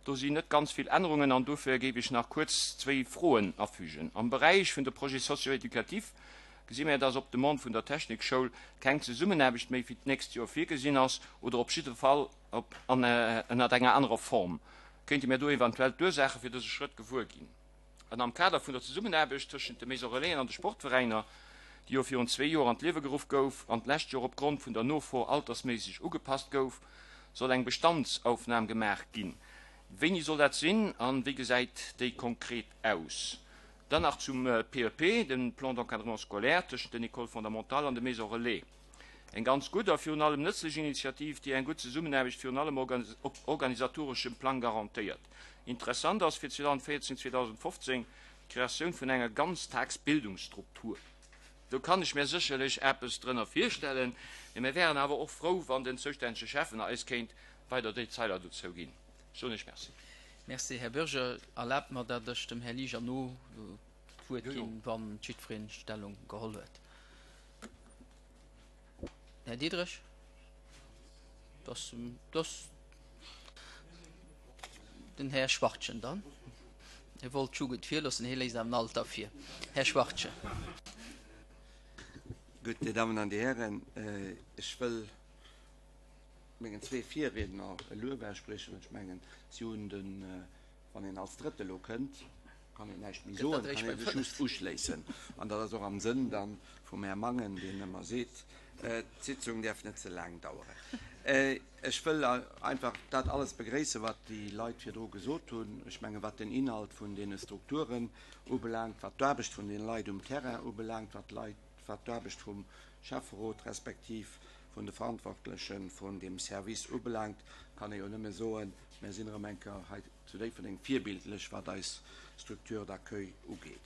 Do sinn net ganz vill Ännerungen an dofir géif ech nach kuerz zwéi Froen afügen. Am Beräich vun de Projets socio-éducatifs gesi mär, dass op Demande vun der Technikschoul keng Zesummenaarbecht méi fir d'nächst Joer virgesinn ass oder op jidde Fall op ënnert enger anerer Form. Kéinte mär do eventuell d'Ursaache fir dëse Schrëtt gewuer ginn? An am Kader vun der Zesummenaarbecht tëschent de Maison Relaisen an de Sportveräiner, déi jo virun zwee Joer an d'Liewe geruff gouf an d'lescht Joer opgrond vun der Nofro altersméisseg ugepasst gouf, soll eng Bestandsaufnam gemaach ginn. Wéini soll dat sinn a wéi gesäit déi konkret aus? Dann nach zum PEP, dem Plan d'encadrement scolaire tëschent den Écoles fondamentales an de Maisons relais. Eng ganz gutt a virun allem nëtzlech Initiativ, déi eng gutt Zesummenaarbecht virun allem op organisatoreschem Plang garantéiert. Interessant ass fir 2014, 2015 d'Kreatioun vun enger Ganztagsbildungsstruktur. Do kann ech mir sécherlech eppes drënner virstellen, mee mir wären awer och frou, wann den zoustännege Schäffen eis kéint weider Detailer dozou ginn. Ech soen Iech Merci. Merci, Här Bürger. Erlaabt mer, datt ech dem Här Liesch erno d'Wuert ginn, wa jiddweree Stellung geholl huet. Här Diderich? Das, das. Den Här Schwachtgen dann. Hie wollt d'Jugend virloossen, hie léisst awer den Alter vir. Här Schwachtgen. Gutt, Dir Dammen an Dir Hären, ech wëll mengen zwee Virriedner e Luef ausspriechen. Ech mengen, si hunn den, wann een als Drëtte elo kënnt, kann een näischt méi soen, kann ee sech just uschléissen. An dat ass och am Sënn da vum Här Mangen, deen ëmmer seet, d'Sitzung däerf net ze laang daueren. Ech wëll einfach dat alles begréissen, wat déi Leit virdru gesot hunn. Ech mengen, wat den Inhalt vun deene Strukturen ubelaangt, wat d'Aarbecht vun den Leit um Terrain ubelaangt, wat d'Leit, wat d'Aarbecht vum Schäfferot respektiv vun de Verantwortleche vun deem Service ubelaangt, kann ee jo nëmme soen, Mir sinn erëm eng Kéier hei zu Déifferdeng virbildlech, wat eis Structure d'accueil ugeet.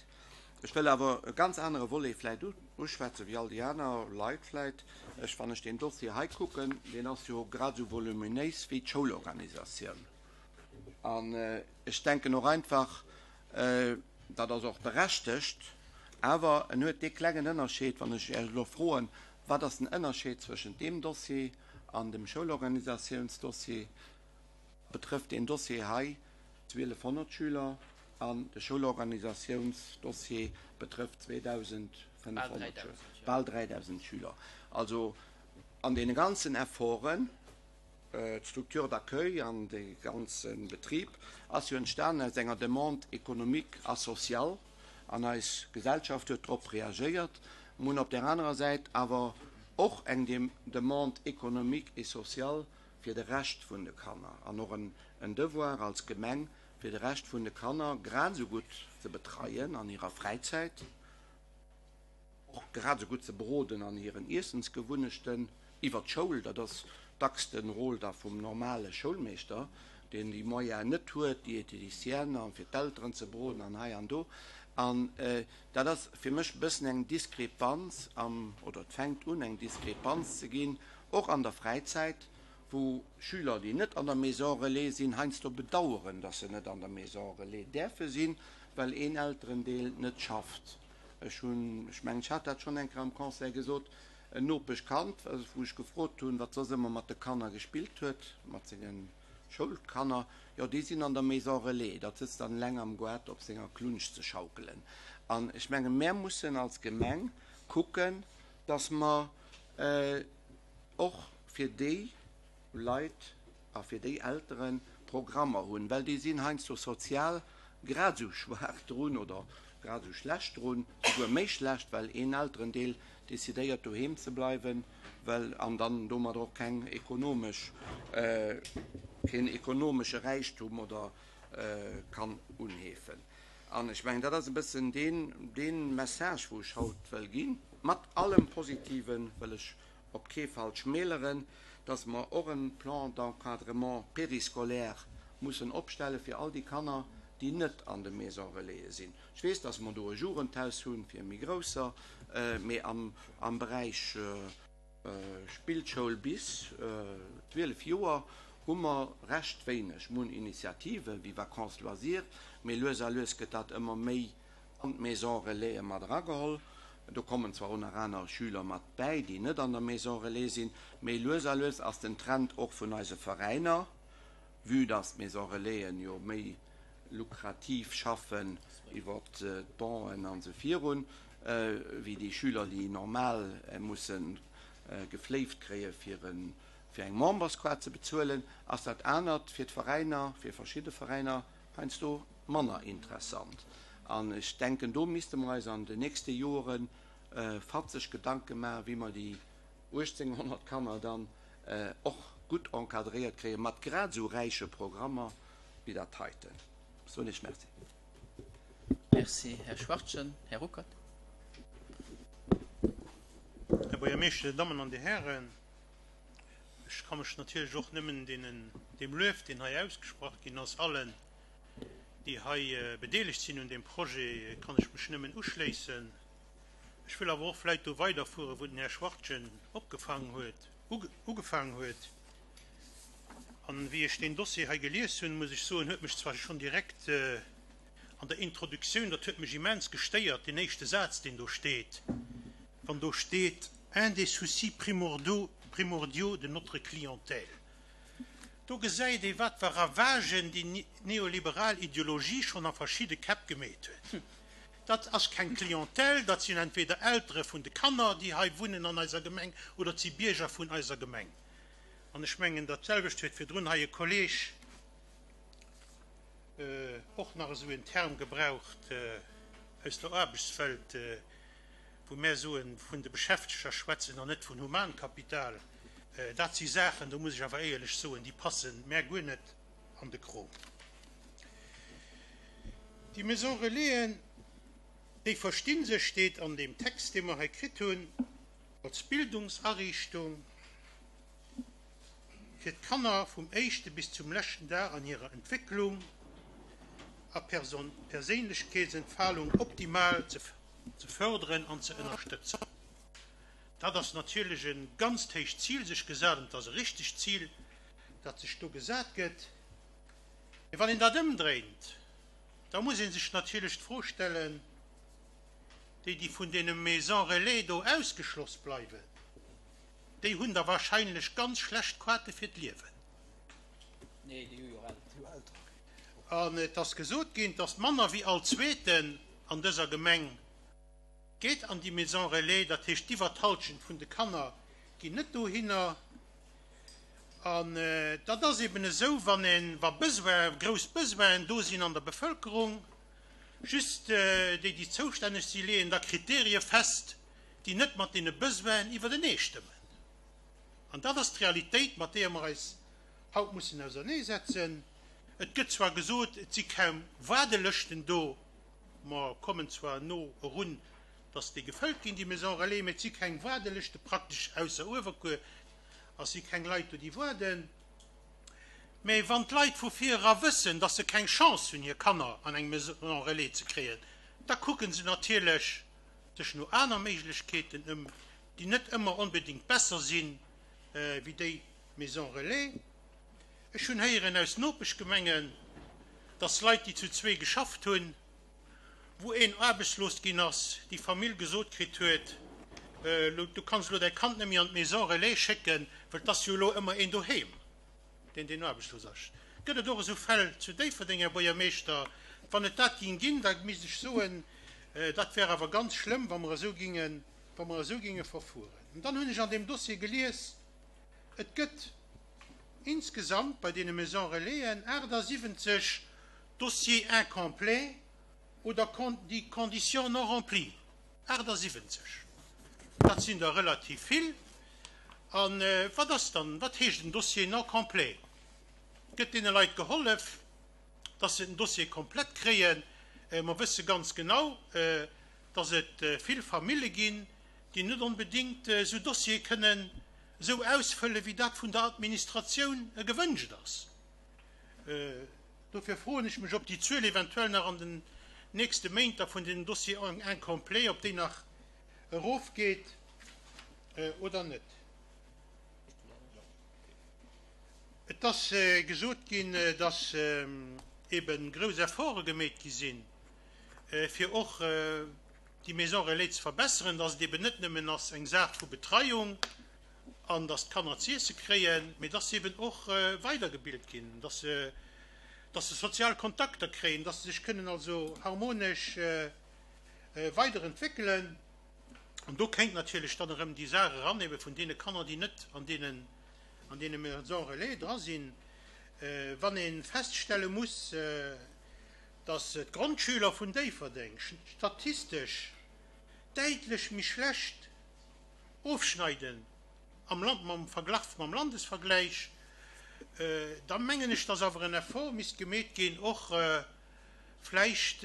Ech wëll awer e ganz anere Volet vläicht uschwätzen, wéi all déi aner Leit vläicht. Ech, wann ech deen Dossier hei kucken, deen ass jo grad esou voluminéis wéi d'Schoulorganisatioun. An ech denken och einfach, dat ass och berechtegt, awer en huet dee klengen Ënnerscheed, wann ech Iech elo froen, Wat ass den Ënnerscheed zwëschent deem Dossier an dem Schoulorganisatiounsdossier? Betrëfft deen Dossier hei 1.200 Schüler an de Schoulorganisatiounsdossier betrëfft 2.500 Schüler, bal 3.000 Schüler. Also an deene ganzen Efforten, d'Structure d'accueil an dee ganze Betrib ass jo entstanen aus enger Demande économique a sociale an eis Gesellschaft huet drop reagéiert. Mir hunn op där anerer Säit awer och eng Demande économique et sociale fir de Rescht vun de Kanner an och en Devoir als Gemeng fir de Rescht vun de Kanner grad esou gutt ze betreien an hirer Fräizäit, och grad esou gutt ze beroden an hiren Iessensgewunnechten iwwer d'Schoul. Dat ass dacks de Rôle da vum normale Schoulmeeschter, deen déi Moyenen net huet, Diététicienne an fir d'Elteren ze beroden an hei an do. An dat ass fir mech e bëssen eng Diskrepanz am, oder et fänkt un eng Diskrepanz ze ginn, och an der Fräizäit, wou Schüler, déi net an der Maison relais sinn, heiansdo bedauern, dass se net an der Maison relais däerfe sinn, well een Elterendeel net schafft. Ech hunn, ech mengen, ech hat dat schonn eng Kéier am Conseil gesot, en Nopeschkand, wou ech gefrot hunn, wat soss ëmmer mat de Kanner gespillt huet, mat senge Schoulkanner, jo, déi sinn an der Maison relais, dat sëtzt dann eleng am Goart op senger Klunsch ze schaukelen. An ech mengen, mär mussen als Gemeng kucken, dass mer och fir déi Leit a fir déi Eltere Programmer hunn, well déi sinn heiansdo sozial grad esou schwaach drun oder grad esou schlecht drun, souguer méi schlecht, well een Elterendeel decidéiert doheem ze bleiwen, well an dann domadder och keng ekonomesch, keen ekonomesche Räichtum oder kann unheefen. An ech mengen, dat ass e bëssen deen, dee Message, wou ech haut wëll ginn. Mat allem Positive wëll ech op kee Fall schmäleren, dass mer och e Plan d'encadrement périscolaire mussen opstelle fir all déi Kanner, déi net an de Maisons relaisen sinn. Ech weess, dass mer do e Jugendhaus hu fir méi Grousser, mee am Beräich Spillschoul bis 12 Joer hu mer recht wéineg. Mer hunn Initiative wéi Vacances loisirs, mee lues a lues gëtt dat ëmmer méi an d'Maison Relaisen mat erageholl. Do kommen zwar och nach aner Schüler mat bäi, déi net an der Maison Relais sinn, mee lues a lues ass den Trend och vun eise Veräiner, vue dass d'Maison Relaisen jo méi lukrativ schaffen iwwer d'Bonen an esou virun, wéi déi Schüler, déi normal musse gefléift kréie fir eng Memberskaart ze bezuelen, ass dat anert fir d'Veräiner, fir verschidde Veräiner heiansdo manner interessant. An ech denken, do misste mer eis an den nächste Jore fatzeg Gedanke maachen, wéi mer déi 1.800 Kanner dann och gutt encadréiert kréien, mat grad esou räiche Programmer wéi dat heiten. Ech soen Iech Merci. Merci, Här Schwachtgen. Här Ruckert. Här Buergermeeschter, Dir Dammen an Dir Hären, ech ka mech natierlech och nëmmen deenen, deem Luef, deen hei ausgesprach ginn ass, allen, déi hei bedeelegt sinn un deem Projet, kann ech mech nëmmen uschléissen. Ech wëll awer och vläit do weiderfueren, wou den Här Schwachtgen opgefaangen huet, ugefaangen huet. An wéi ech deen Dossier hei gelies hunn, muss ech soen, huet mech zwar schonn direkt an der Introduktioun, dat huet mech immens gestéiert, deen éischte Saz, deen do steet, wann do steet, Un des soucis primordiaux de notre clientèle. Do gesäit ee wat fir Ravagen déi neoliberal Ideologie schonn a verschidde Käpp gemeet huet. Dat ass keng Clientèle, dat sinn entweder Eltere vun de Kanner, déi hei wunnen an eiser Gemeng, oder et si Bierger vun eiser Gemeng. An ech mengen, dat selwecht huet virdrun hei e Kolleeg och nach esou en Term gebraucht aus der Aarbechtswelt, wou mär soen, vun de Beschäfteger schwätzen an net vun Humankapital. Dat si Saachen, do muss ech awer éierlech soen, déi passen mär guer net an de Krom. Déi Maison Relaisen, déi versti sech, steet an deem Text, dee mer hei kritt hunn, als Bildungsariichtung fir d'Kanner vum éischte bis zum leschten Dag an hirer Entwécklung a Perséinlechkeetsentfalung optimal ze förderen an ze ënnerstëtzen. Dat ass natierlech e ganzt héicht Zil sech gesat, an et ass e richtegt Zil, dat sech do gesat gëtt. Mee wann een dat ëmdréint, da muss ee sech natierlech d'Fro stellen, Déi, déi vun deene Maisons relais do ausgeschloss bleiwen, déi hunn da wahrscheinlech ganz schlecht Quate fir d'Liewen. An et ass gesot ginn, dass manner wéi all Zweeten an dëser Gemeng geet an déi Maison relais, dat heescht iwwer d'Halschent vun de Kanner ginn net dohinner. An dat ass eben esou, wann een, wa Besoin, grouss Besoinen do sinn an der Bevëlkerung, just déi, déi zoustänneg si leeën da Kriterie fest, déi net mat deene Besoinen iwwertenee stëmmen. An dat ass d'Realitéit, mat deeër mer eis haut mussen auserneesetzen. Et gëtt zwar gesot, et si kaum Waardelëschten do, Mer kommen zwar no erun, dass déi gefëllt ginn, déi Maisons relais, mä et si keng Waardelëschte praktesch, ausser Uewerkuer, a si keng Leit do, déi waarden. Mä wann d'Leit vu vir era wëssen, dass se keng Chance hunn, hir Kanner an eng Maison relais ze kréien, da kucke se natierlech sech no aner Méiglechkeeten ëm, déi net ëmmer onbedéngt besser si wéi déi Maison relais. Ech hunn héieren aus Nopeschgemengen, dass Leit, déi zu zwee geschafft hunn, wou een aarbechtslos ginn ass, déi Famill gesot kritt huet, Du kanns elo däi Kand net méi an d'Maison relais schécken, well 't ass jo elo ëmmer een doheem, deen deen aarbechtslos ass. Gëtt et och esou Fäll zu Déifferdeng, Här Buergermeeschter? Wann et dat géing ginn, da misst ech soen, dat wär awer ganz schlëmm, wa mer esou géingen, wa mer esou géinge verfueren. An dann hunn ech an deem Dossier gelies, et gëtt, Insgesamt bei deene Maisons relaisen 78 Dossiers incomplets oder déi Conditions non remplies. 78, dat sinn der relativ vill. A wat ass dann, wat heescht en Dossier non complet? Gëtt deene Leit gehollef, dass se den Dossier komplett kréien? Mer wësse ganz genau, dass et vill Famille ginn, déi net onbedéngt esou Dossiere kënnen esou ausfëlle wéi dat vun der Administratioun gewënscht ass. Dofir froen ech mech, ob déi Zuel eventuell nach an den nächste Méint da vun den Dossiers incomplets, ob déi nach erofgeet oder net. Et ass gesot ginn, dass ebe grouss Efforte gemeet gi sinn, fir och déi Maison relais ze verbesseren, dass et eben net nëmmen ass eng Saach vu Betreiung an dass d'Kanner z'iesse kréien, mee dass se eben och weidergebilt ginn, dass se, dass se sozial Kontakter kréien, dass se sech kënnen also harmonesch weiderentwéckelen. An do kéint natierlech dann erëm déi Saach eran, ebe vun deene Kanner, déi net an deenen, an deene Maisons relais dra sinn, wann ee feststelle muss, dass d'Grondschüler vun Déifferdeng statistesch däitlech méi schlecht ofschneiden am Land mam Verglach mam Landesvergläich, da mengen ech, dass awer en Effort misst gemeet ginn, och vläicht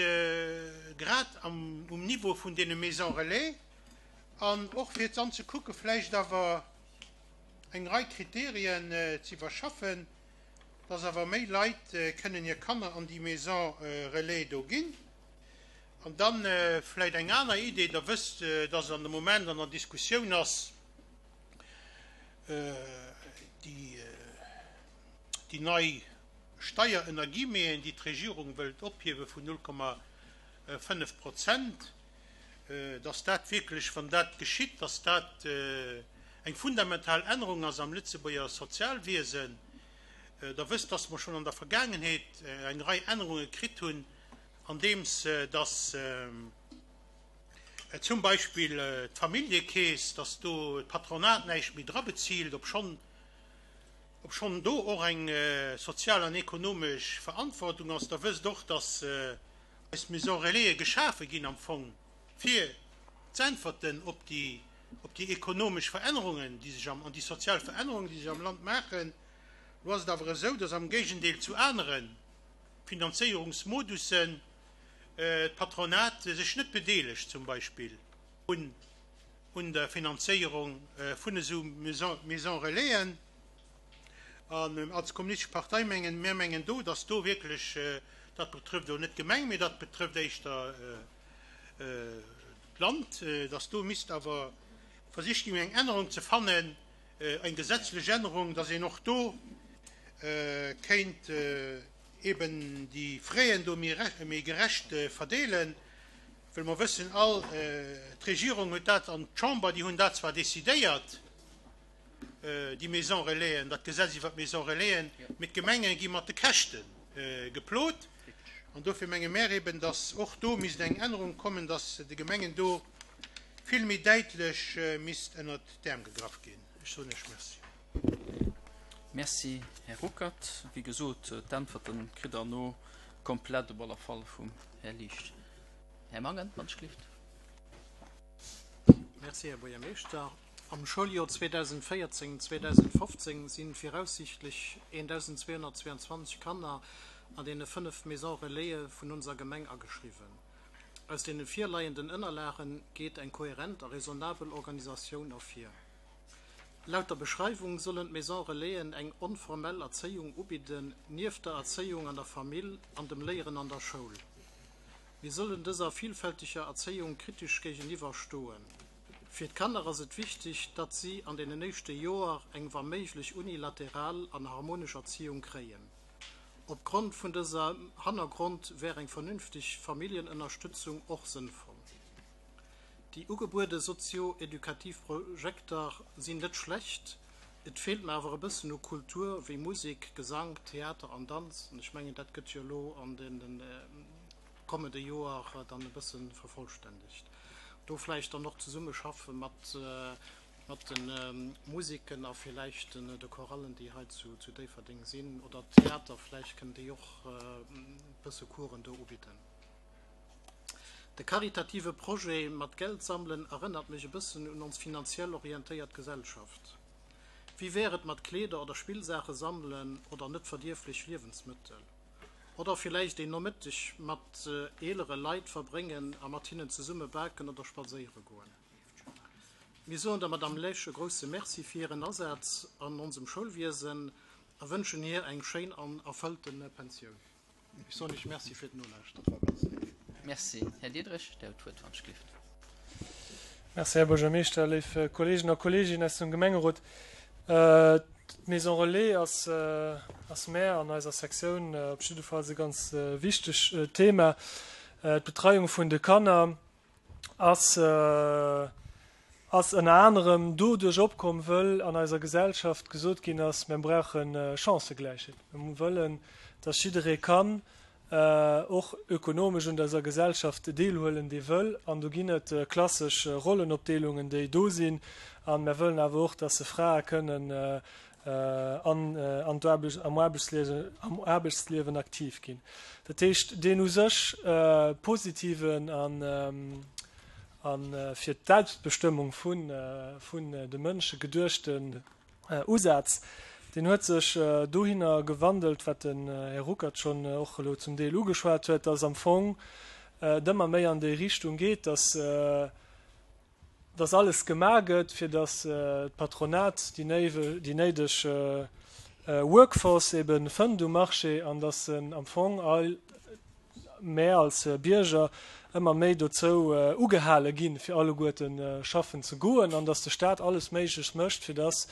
grad am um Niveau vun deene Maisons relais an och fir dann ze kucke vläicht awer eng Rei Kriterien ze iwwerschaffen, dass awer méi Leit kënnen hir Kanner an déi Maison relais do ginn. An da vläicht eng aner Idee, Der wësst, dass an de Moment an der Diskussioun ass déi nei Steier ënner Guillemeten, déi d'Regierung wëllt ophiewe vun 0,5 Prozent, dass dat wierklech, wann dat geschitt, dass dat eng fundamental Ännerung ass am Lëtzebuerger Sozialwiesen. Der wësst, dass mer schonn an der Vergaangenheet eng Rei Ännerunge kritt hunn, andeems dass zum Beispill d'Familljekeess, dass do d'Patronat näischt méi dra bezilt, obschonn obschonn do och eng sozial an ekonomesch Verantwortung ass. Der wësst och, dass eis Maisons Relaisen geschafe ginn am Fong, fir z'äntwerten op déi op déi ekonomesch Verännerungen, déi sech am, an déi sozial Verännerungen, déi sech am Land maachen. Elo ass et awer esou, dass am Géigendeel zu anere Finanzéierungsmodussen d'Patronat sech net bedeelegt, zum Beispill un un der Finanzéierung vun esou Maisons Relaisen. An als Kommunistesch Partei mengen, mir mengen do, dass do wierklech, dat betrëfft elo net d'Gemeng, mee dat betrëfft éischter d'Land, dass do misst awer versicht ginn, eng Ännerung ze fannen, eng gesetzlech Ännerung, dass een och do kéint eben déi Fräen do méi gerecht verdeelen, well mer wëssen all, d'Regierung huet dat an d'Chamber, déi hunn dat zwar decidéiert, déi Maisons Relaisen, dat Gesetz iwwert d'Maisons Relaisen, mee d'Gemenge gi mat de Käschte geplot. An dofir menge mär eben, dass och do misst eng Ännerung kommen, dass de Gemengen do vill méi däitlech misst ënnert d'Äerm gegraff ginn. Ech soen Iech Merci. Merci, Här Ruckert. Wéi gesot, d'Äntwerten kritt Der elo komplett op alle Fall vum Här Liesch. Här Mangen, wann ech gelift. Merci, Här Buergermeeschter. Am Schouljoer 2014, 2015 si viraussiichtlech 1.222 Kanner an deene 5 Maisons Relaisen vun onser Gemeng ageschriwwen. Aus deene virleienden Ënnerlage geet eng kohärent a raisonnabel Organisatioun ervir. Laut der Beschreiwung sollen d'Maisons Relaisen eng onformell Erzéiung ubidden, nieft der Erzéiung an der Famill an dem Léieren an der Schoul. Mir sollen dëser vielfälteger Erzéiung kritesch géigeniwwer stoen. Fir d'Kanner ass et wichteg, datt si an deenen éischte Joer eng wa méiglech unilateral an harmonesch Erziehung kréien. Op Grond vun dësem Hannergrond wär eng vernünfteg Familljenënnerstützung och sënnvoll. Déi ugebuede sozio-edukativ Projekter sinn net schlecht, et feelt mer awer e bëssen u Kultur wéi Musek, Gesank, Theater an Danz, an ech mengen dat gëtt jo elo an deenen kommende Joer dann e bësse vervollständegt. Do vläicht dann och zesumme schaffe mat mat de Musiken a villäicht den de Chorallen, déi hei zu zu Déifferdeng sinn, oder Theater, vläicht kënnen déi och e bësse Coursen do ubidden. De karitative Projet mat Geld sammelen erënnert mech e bëssen un ons finanziell orientéiert Gesellschaft. Wéi wär et mat Kleeder oder Spillsaache sammelen oder net verdierflech Liewensmëttel? Oder villäicht een Nomëtteg mat eelere Leit verbréngen a mat hinnen zesumme baken oder spadséiere goen. Mir soen der Madame Lesch e grousse Merci fir hiren Asaz an onsem Schoulwiesen a wënschen hir eng schéin an erfëllte Pensioun. Ech soen Iech Merci fir d'Nolauschteren. Merci. Här Diderich, Dir hutt d'Wuert, wann ech gelift. Merci, Här Buergermeeschter, léif Kolleegen a Kolleeginnen aus dem Gemengerot. D'Maison Relais ass ass mär an eiser Sektioun op jiddefalls e ganz wichteg Thema. D'Betreiung vun de Kanner ass ass ënner anerem doduerch opkomm, wëll an eiser Gesellschaft gesot ginn ass, mir brauche Chancëgläichheet. Mir wëllen, dass jidderee kann och ökonomesch un dëser Gesellschaft deelhuelen, dee wëll. An do ginn et klassesch Rollenopdeelungen, déi do sinn. A mer wëllen awer och, dass se Frae kënnen an an d'Aarbecht, am Aarbechtsliewen, am Aarbechtsliewen aktiv ginn. Dat heescht, deen u sech positiven an a fir d'Selbstbestëmmung vun vun de Mënsche geduechten Usaz, deen huet sech dohinner gewandelt, wat den Här Ruckert schonn och elo zum Deel ugeschwat huet, dass am Fong et ëmmer méi an déi Richtung geet, dass, dass alles gemaach gëtt, fir dass d'Patronat déi néideg Workforce ebe fënnt um Marché an dass en am Fong all, mär als Bierger ëmmer méi dozou ugehale ginn, fir alleguerte schaffen ze goen, an datt de Staat alles Méiglecht mécht, fir datt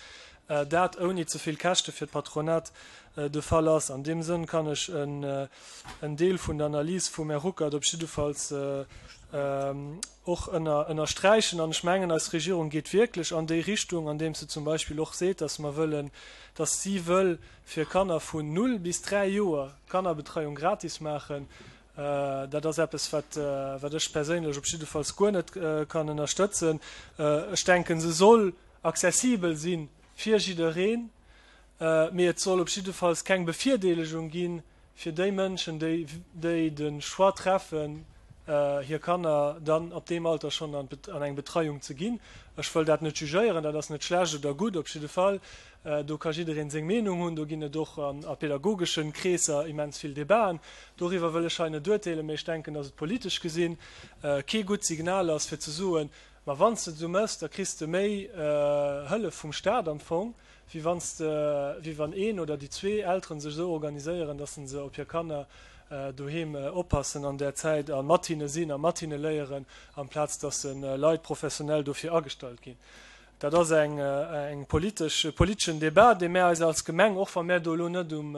dat ouni ze vill Käschte fir d'Patronat de Fall ass. An deem Sënn kann ech en Deel vun der Analys vum Här Ruckert op jiddefalls. och ënnersträichen. An ech mengen, eis Regierung geet wierklech an déi Richtung, andeems se zum Beispill och seet, dass mer wëllen, dass si wëll fir Kanner vun null bis 3 Joer d'Kannerbetreiung gratis maachen. Dat ass eppes, wat, wat ech perséinlech op jiddefalls guer net kann ënnerstëtzen. Ech denken, se soll accessibel si fir jiddereen, mee et soll op jiddefalls keng Bevirdeelegung gi fir déi Mënschen, déi, déi de Choix treffen, hir Kanner dann ab deem Alter schonn an an eng Betreiung ze ginn. Ech wëll dat net jugéieren, dat ass net schlecht oder gutt, op jidde Fall. Do ka jiddereen seng Meenung hunn, do ginn et och a pedagogeschen Kreesser immens vill Debaten. Doriwwer wëll ech hei net urteelen, mee ech denken, datt et politesch gesinn kee gutt Signal ass, fir ze soen, Ma wann s de et esou méchs, da kriss de méi Hëllef vum Staat am Fong, wéi wann s de, wéi wann een oder déi zwee Elteren sech esou organiséieren, datt se op hir Kanner doheem oppassen an där Zäit a mat hinne sinn a mat hinne léieren, amplaz datt se Leit professionell dofir agestallt ginn. Dat ass eng, eng politesch, e politeschen Débat, dee mär eis als Gemeng, och wa mär do elo net um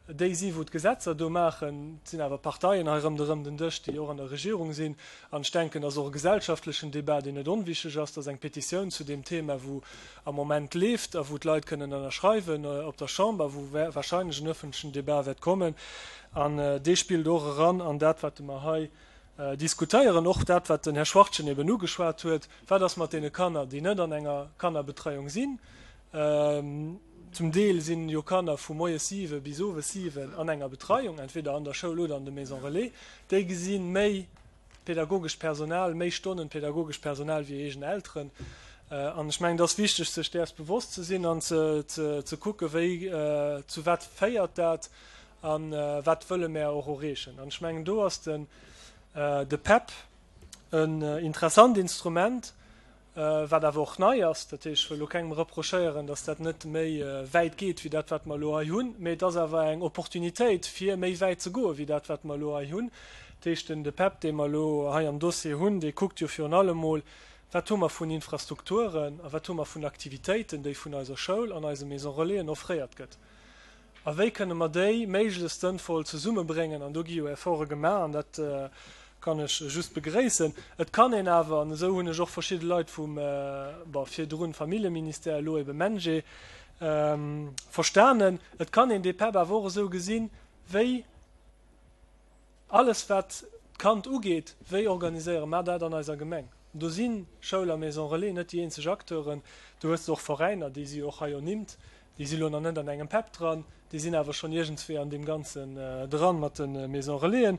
déi si wou d'Gesetzer do maachen, et sinn awer Parteien hei rëmderëm den Dësch, déi och an der Regierung sinn, an ech denken, dat ass och e gesellschaftlechen Débat, deen net onwichtig ass, dass eng Petitioun zu deem Thema, wou am Moment leeft a wou d'Leit kënnen ënnerschreiwen op der Chamber, wou wahrscheinlech en öffentlechen Débat wäert kommen, an dee spillt och eran an dat, wat mer hei diskutéieren, och dat, wat den Här Schwachtgen eben ugeschwat huet, Wat ass mat deene Kanner, déi net an enger Kannerbetreiung sinn? Zum Deel sinn jo Kanner vu moies 7 bis owes 7 an enger Betreiung, entweder an der Schoul oder an de Maison relais. Déi gesi méi pädagogescht Personal, méi Stonnen pädagogescht Personal wéi hir eegen Elteren. An ech mengen, et ass wichteg, sech däers bewosst ze sinn an ze kucken, wéi, zu wat féiert dat a wat wëlle mär och erreechen. An ech mengen, do ass den, de PEP en interessant Instrument, wat awer och nei ass. Dat heescht, ech wëll elo kengem reprochéieren, datt dat net méi wäit geet wéi dat, wat mer elo hei hunn, mee et ass awer eng Opportunitéit, fir méi wäit ze goe wéi dat, wat mer elo hei hunn. Dat heescht, den de PEP, dee mer elo hei am Dossier hunn, dee kuckt jo virun allem emol, Wat hu mer vun Infrastrukturen a wat hu mer vun Aktivitéiten, déi vun eiser Schoul an eise Maison-relaisen offréiert gëtt? A wéi kënne mer déi méiglechst sënnvoll zesummebréngen? An do gi jo Efforte gemaach, an dat kann ech just begréissen. Et kann een awer, an esou hunn ech och verschidde Leit vum, bon, virdrun Familljeministère, elo ebe MENJE, verstanen, et kann een dee PEP awer och esou gesinn, wéi Alles wat d'Kand ugeet, wéi organiséiere mer dat an eiser Gemeng? Do si Schoul a Maison Relais net déi eenzeg Acteuren. Do hues de och Veräiner, déi si jo och hei ernimmt, déi si lo nach net an engem PEP dran, déi sinn awer schonn iergendswéi an deem Ganzen dran mat de Maison Relaisen.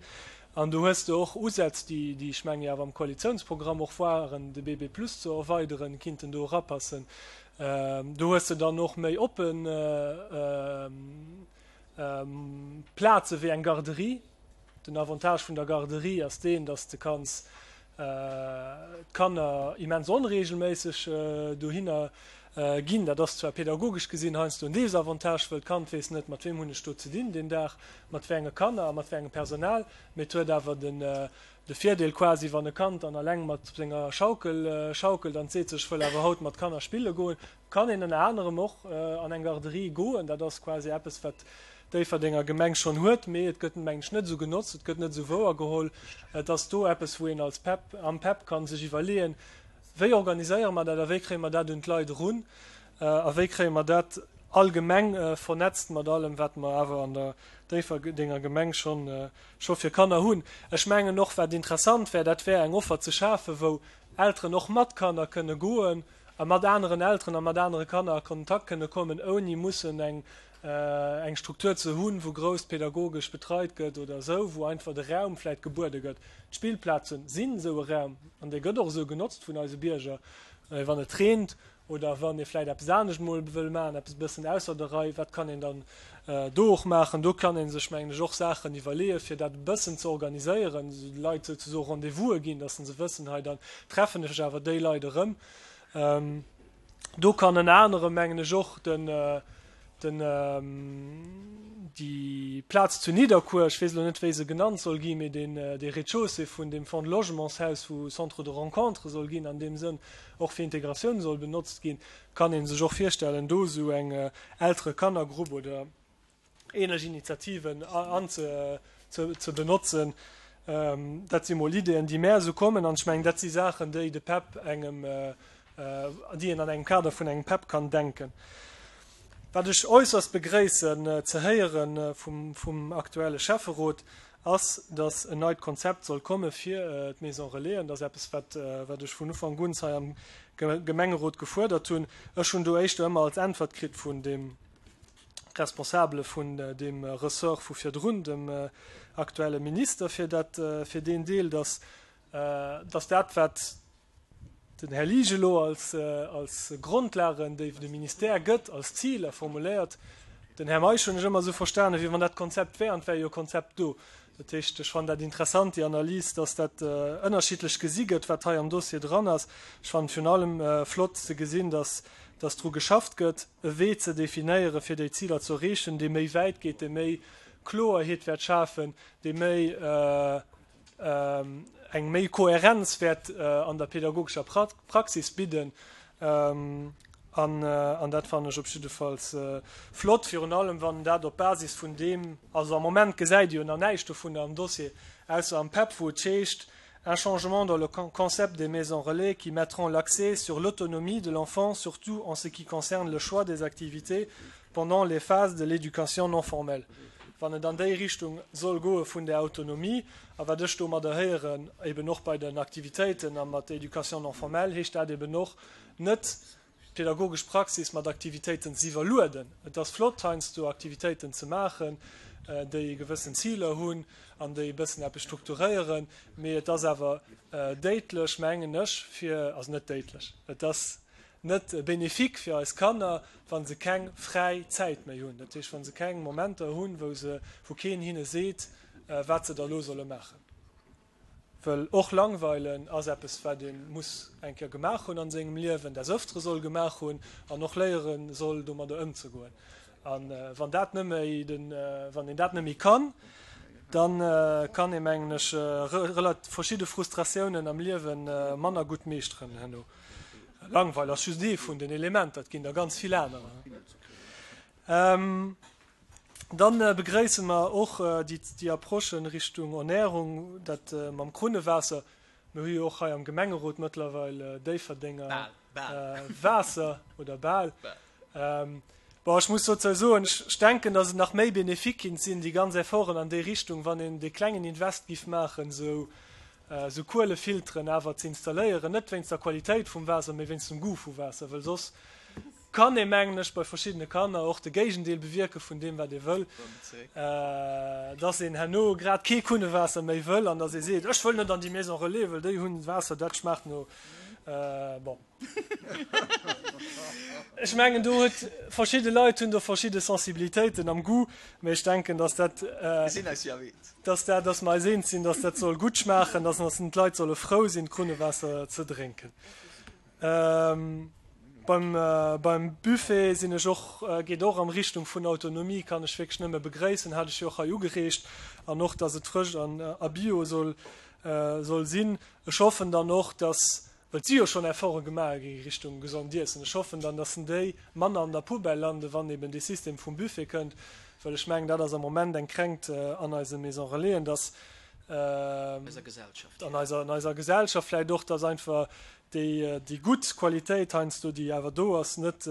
An do hues de och Usätz, déi, déi ech menge jo awer am Koalitiounsprogramm och waren, de BB Plus ze erweideren, kinnten do erapassen. Do hues de dann och méi oppen Plaze wéi eng Garderie. Den Avantage vun der Garderie ass deen, dass de kanns d'Kanner immens onregelméisseg dohinner ginn. Dat ass zwar pädagogesch gesinn heiansdo en Desavantage, wëll d'Kand weess net, mat weem hunn ech do ze dinn deen Dag, mat wéi enge Kanner a mat wéi engem Personal. Mee et huet awer den de Virdeel quasi, wann e Kand dann alleng mat senger Schaukel schaukelt an seet sech, ech wëll awer haut mat Kanner spille goen, kann een ënner anerem och an eng Garderie goen. Dat ass quasi eppes, wat d'Déifferdenger Gemeng schonn huet, mee et gëtt, mengen ech, net esou genotzt, et gëtt net esou wouergeholl. Et ass do eppes, wou een als PEP, am PEP ka sech iwwerleeën, Wéi organiséiere mer dat a wéi kréie mer dat un d'Leit erun a wéi kréie mer dat allgemeng vernetzt mat allem, wat mer awer an der Déifferdenger Gemeng schonn scho fir Kanner hunn. Ech mengen och, wat interessant wär, dat wär eng Offer ze schafen, wou Elteren och mat Kanner kënne goen a mat aneren Elteren a mat anere Kanner a Kontakt kënne kommen, ouni mussen eng eng Struktur ze hunn, wou grouss pädagogesch betreit gëtt oder esou, wou einfach de Raum vläicht gebuede gëtt. D'Spillplazen sinn esou e Raum an dee gëtt och esou genotzt vun eise Bierger, wann et reent oder wann ee vläicht eppes anescht mol wëll maachen, eppes e bëssen ausser der Rei, wat kann een dann do och maachen? Do kann ee sech, mengen ech, och Saachen iwwerleeën, fir dat e bëssen ze organiséieren, de Leit souzesoe Rendez-vouse ginn, dass se wëssen, hei dann treffen ech awer déi Leit erëm. Do kann ënner anerem, mengen ech, och den, den, déi Plaz zu Nidderkuer, ech weess elo net, wéi se genannt soll ginn, mee deen, dee Rez-de-chaussée vun deem Fonds de Logementshaus, wou Centre de rencontre soll ginn, an deem Sënn och fir Integratioun soll benotzt ginn, kann ee sech och virstellen, do esou eng Eltere-Kanner-Grupp oder ähnlech Initiativen an ze, ze benotzen. Dat si mol Ideeën, déi mär esou kommen. An ech mengen, dat si Saachen, déi de PEP engem, déi een an engem Kader vun engem PEP kann denken. Wat ech äusserst begréissen ze héiere vum aktuelle Schäfferot, ass, datt en neit Konzept soll komme fir d'Maison Relaisen. Dat ass eppes, wat ech vun Ufank un hei am Gemengerot gefuerdert hunn. Ech hunn do éischter ëmmer als Äntwert kritt vun deem Responsabele vun deem Ressort vu virdrun, dem aktuelle Minister fir dat, fir deen Deel, datt, datt dat, wat den Här Liesch elo als, als Grondlagen, déi de Ministère gëtt, als Ziler formuléiert, den Här Meisch hunn ech ëmmer esou verstanen, wéi wann dat Konzept wär, an et wär jo e Konzept do. Dat heescht, ech fannen dat interessant, déi Analys, datt dat ënnerschiddlech gesi gëtt, wat hei am Dossier dran ass. Ech fannen virun allem flott ze gesinn, datt, datt dru geschafft gëtt, e Wee ze definéieren, fir déi Ziler ze erreechen, dee méi wäit geet, dee méi Kloerheet wäert schafen, dee méi eng méi Kohärenz wäert an der pädagogescher Praxis bidden. An dat fannen ech op jiddefalls flott, virun allem wann dat op Basis vun deem, also am Moment gesäit ee jo nach näischt dovunner am Dossier, ausser am PEP, wou et heescht, Un changement dans le concept des maisons relais qui mettront l'accès sur l'autonomie de l'enfant, surtout en ce qui concerne le choix des activités pendant les phases de l'éducation non formelle. Wann et an déi Richtung soll goe vun där Autonomie, a wat ech domadder héieren, eben och bei den Aktivitéiten a mat der Éducation non formelle, heescht dat eben och net, d'pädagogesch Praxis mat Aktivitéiten ze iwwerlueden. Et ass flott, heiansdo Aktivitéiten ze maachen, déi gewëssen Ziler hunn an déi e bëssen eppes strukturéieren, mee et ass awer déidlech, mengen ech, fir, also net déidlech, et ass net bénéfique fir eis Kanner, wa se keng fräi Zäit méi hunn, dat heescht, wa se keng Momenter hunn, wou se, wou keen hinne seet, wat se da elo solle maachen. Well och Langweilen ass eppes, wat ee muss eng Kéier gemaach hunn an sengem Liewen, des Ëftere soll gemaach hunn an och léiere soll, domadder ëmzegoen. A wann dat net méi den, wann een dat net méi kann, da kann ee, mengen ech, relat verschidde Frustratiounen am Liewe manner gutt meeschteren herno. Langweil ass just ee vun den Elementer, et ginn der ganz vill anerer. Dann begréisse mer och déi Approche Richtung Ernährung, dat mam Krunnewaasser. Mir hu jo och hei am Gemengerot mëttlerweil Déifferdenger Waasser, oder bal. Bon, ech muss dozou soen, ech denken, datt et nach méi bénéfique kinnt sinn, déi ganz Efforten an déi Richtung, wann een dee klengen Invest giff maachen, esou Kuelefilteren awer ze installéieren, net wéinst der Qualitéit vum Waasser, mee wéinst dem Goût vu Waasser, wëll soss kann ee, mengen ech, bei verschiddene Kanner och de Géigendeel bewierke vun deem, wat ee wëll, dass een herno grad kee Kunnewaasser méi wëll an dass ee seet, ech wëll net an déi Maison relais, wëll déi hunn Waasser, dat schmaacht no, bon. Ech mengen, do huet, verschidde Leit hunn do verschidde Sensibilitéiten am Goût, mä ech denken, dass dat, dass dat, dass mer eis eens sinn, dass dat soll gutt schmaachen, dass d'Leit solle frou sinn, Krunnewaasser ze drénken. Beim, beim Buffet sinn ech och, geet och am Richtung vun Autonomie, kann ech wierklech nëmme begréissen, hat ech jo och hei ugereegt, an och, dass et frësch an a bio soll, soll sinn. Ech hoffen dann och, dass, well et si jo schonn Efforte gemaach gi Richtung gesond Iessen, ech hoffen dann, dass déi manner an der Poubelle landen, wann eben dee System vum Buffet kënnt, well ech mengen, dat ass am Moment eng Kränkt an eise Maison Relaisen, dass, Eiser Gesellschaft. An eiser, an eiser Gesellschaft vläicht och, dass einfach déi, déi gutt Qualitéit heiansdo, déi awer do ass, net,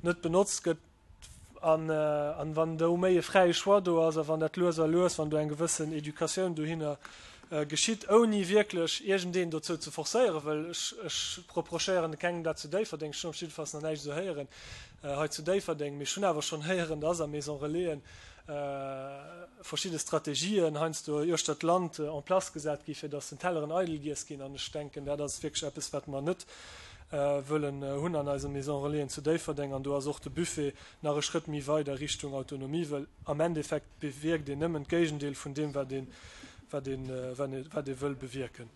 net benotzt gëtt. An, an wann do méi e fräie Choix do ass a wann dat lues a lues, wann do eng gewëssen Educatioun dohinner geschitt, ouni wierklech iergendeen dozou ze forcéieren, well ech, ech reprochéieren kengem dat zu Déifferdeng, ech hunn op jiddefalls nach näischt esou héieren hei zu Déifferdeng, mee ech hunn awer schonn héieren, dass a Maison Relaisen verschidde Strategien heiansdo uechter d'Land en place gesat gi fir datt den Telleren eidel giess ginn. An ech denken, dat ass wierklech eppes, wat mer net wëllen hunn an eise Maison Relaisen zu Déifferdeng. An do ass och de Buffet nach e Schrëtt méi weit a Richtung Autonomie, well am Endeffekt bewierkt een nëmmen d'Géigendeel vun deem, wat ee, wat ee, wat ee wëll bewierken.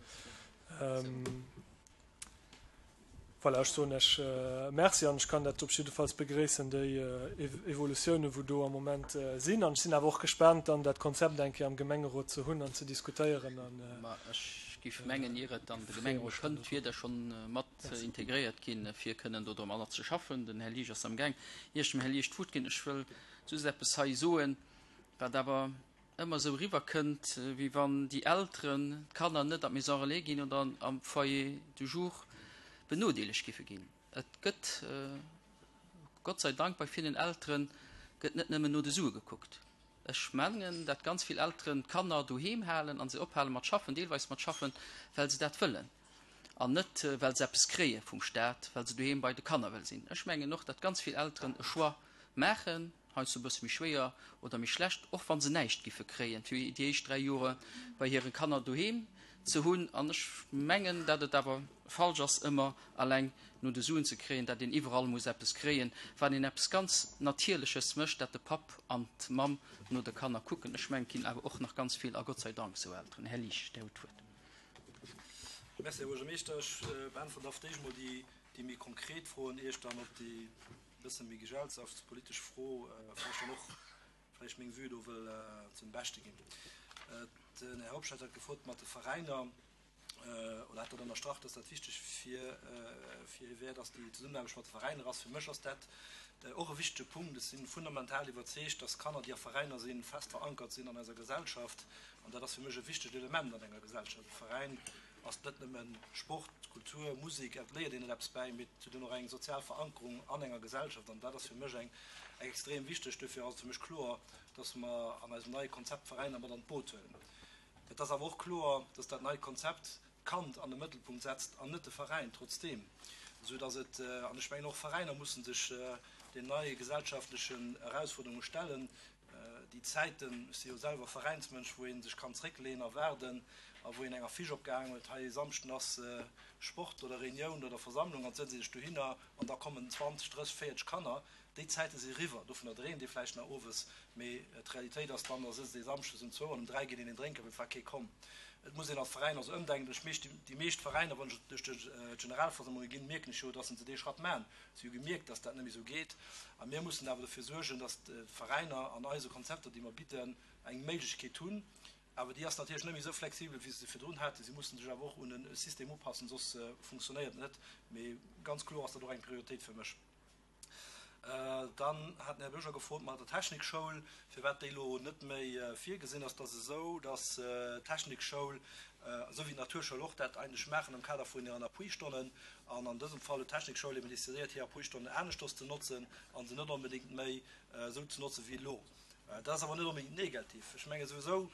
Voilà, ech soen Iech Merci an ech kann dat op jiddefalls begréissen, déi Evolutiounen, wou do am Moment sinn. An ech sinn awer och gespaant, dann dat Konzept eng Kéier am Gemengerot ze hunn an ze diskutéieren. Ma ech géif mengen, ier et an de Gemengerot kënnt, wier dat schonn mat integréiert ginn, fir kënnen do domadder ze schaffen. Den Här Liesch ass amgaang. Ier ech dem Här Liesch d'Wuert ginn, ech wëll just eppes hei soen, wat awer. ëmmer esou eriwwerkënnt, wéi wann déi Elteren d'Kanner net an d'Maison relais ginn oder am Foyer du jour benodeelegt giffe ginn. Et gëtt, Gott sei Dank, bei villen Eltere gëtt net nëmmen no de Sue gekuckt. Ech mengen, dat ganz vill Elteren d'Kanner doheem halen a se ophale mat schaffen, deelweis mat schaffen, well se dat wëllen an net well se eppes kréie vum Staat, well se doheem bei de Kanner wëlle sinn. Ech mengen och, dat ganz vill Elteren e Choix maachen, heiansdo e bësse méi schwéier oder méi schlecht, och wa se näischt giffe kréien, fir déi éischt 3 Jore bei hire Kanner doheem ze hunn. An ech mengen, dat et awer falsch ass, ëmmer alleng no de Suen ze kréien, dat een iwwerall muss eppes kréien, wann een eppes ganz Natierleches mécht, dat de Papp an d'Mamm no de Kanner kucken. Ech mengen, et ginn awer och nach ganz vill, a Gott sei Dank, esou Elteren. Här Liesch, Dir hutt d'Wuert. Merci, Här Buergermeeschter. Ech beäntweren da fir d'éischt emol déi méi konkret Froen, ier ech dann op déi e bësse méi gesellschaftspolitesch Fro vläicht dann och vläicht meng Vue do wëll zum Beschte ginn. Den Här Hobscheit hat gefrot mat de Veräiner, oder hat dat ënnerstrach, dass dat wichteg fir fir hie wär, dass déi Zesummenaarbecht mat de Veräiner ass. Fir mech ass dat och e wichtege Punkt. Ech si fundamental iwwerzeegt, dass Kanner, déi a Veräiner sinn, fest verankert sinn an eiser Gesellschaft. An dat ass fir mech e wichtegt Element an enger Gesellschaft. E Veräin ass net nëmme Sport, Kultur, Musek, et léiert een net eppes bäi, mee et huet och eng sozial Verankerung an enger Gesellschaft. An dat ass fir mech eng extrem wichteg. Duerfir ass et fir mech kloer, dass mer an eisem neie Konzept d'Veräiner mat an d'Boot huelen. Et ass awer och kloer, dass dat neit Konzept d'Kand an de Mëttelpunkt setzt an net de Veräin, trotzdeem, esou dass et, an ech mengen och Veräiner mussen sech den neie gesellschaftlechen Erausfuerderunge stellen, déi Zäiten, ech si jo selwer Veräinsmënsch, wou ee sech kann zréckleeën a waarden a wou een eng Affiche opgehaangen huet, hei e Samschden ass Sport oder Reunioun oder Versammlung an et sëtzt ee sech dohinner an da kommen 20, 30, 40 Kanner. Déi Zäite si riwwer. Dovunner dreemt ee vläicht nach owes, mee d'Realitéit ass dann, da sëtzt ee samschdes um zwou an um 3 geet een een drénken, well et war kee komm. Et muss een als Veräin also ëmdenken. Ech meescht, déi meescht Veräiner, wann ech duerch d'Generalversammlunge ginn, mierken ech jo, dass se dee Schratt maachen. Si hu gemierkt, dass dat net méi esou geet. A mir mussen awer dofir suergen, dass d'Veräiner an eise Konzepter, déi mer bidden, eng Méiglechkeet hunn. Awer déi ass natierlech net méi esou flexibel, wéi se se virdrun haten. Si mussen sech awer och un e System upassen, soss funktionéiert et net. Mee ganz kloer ass dat och eng Prioritéit fir mech. Dann hat den Här Bürger gefrot mat der Technikschoul, firwat déi elo net méi virgesinn ass. Et ass esou, dass d'Technikschoul, esou wéi d'Naturschoul och, dat eigentlech maachen am Kader vun hiren Appuistonnen. An an dësem Fall huet d'Technikschoul eben decidéiert, hir Appuistonnen aneschters ze notzen a se net onbedéngt méi esou ze notzen wéi elo. Dat ass awer net onbedéngt negativ. Ech menge souwisou,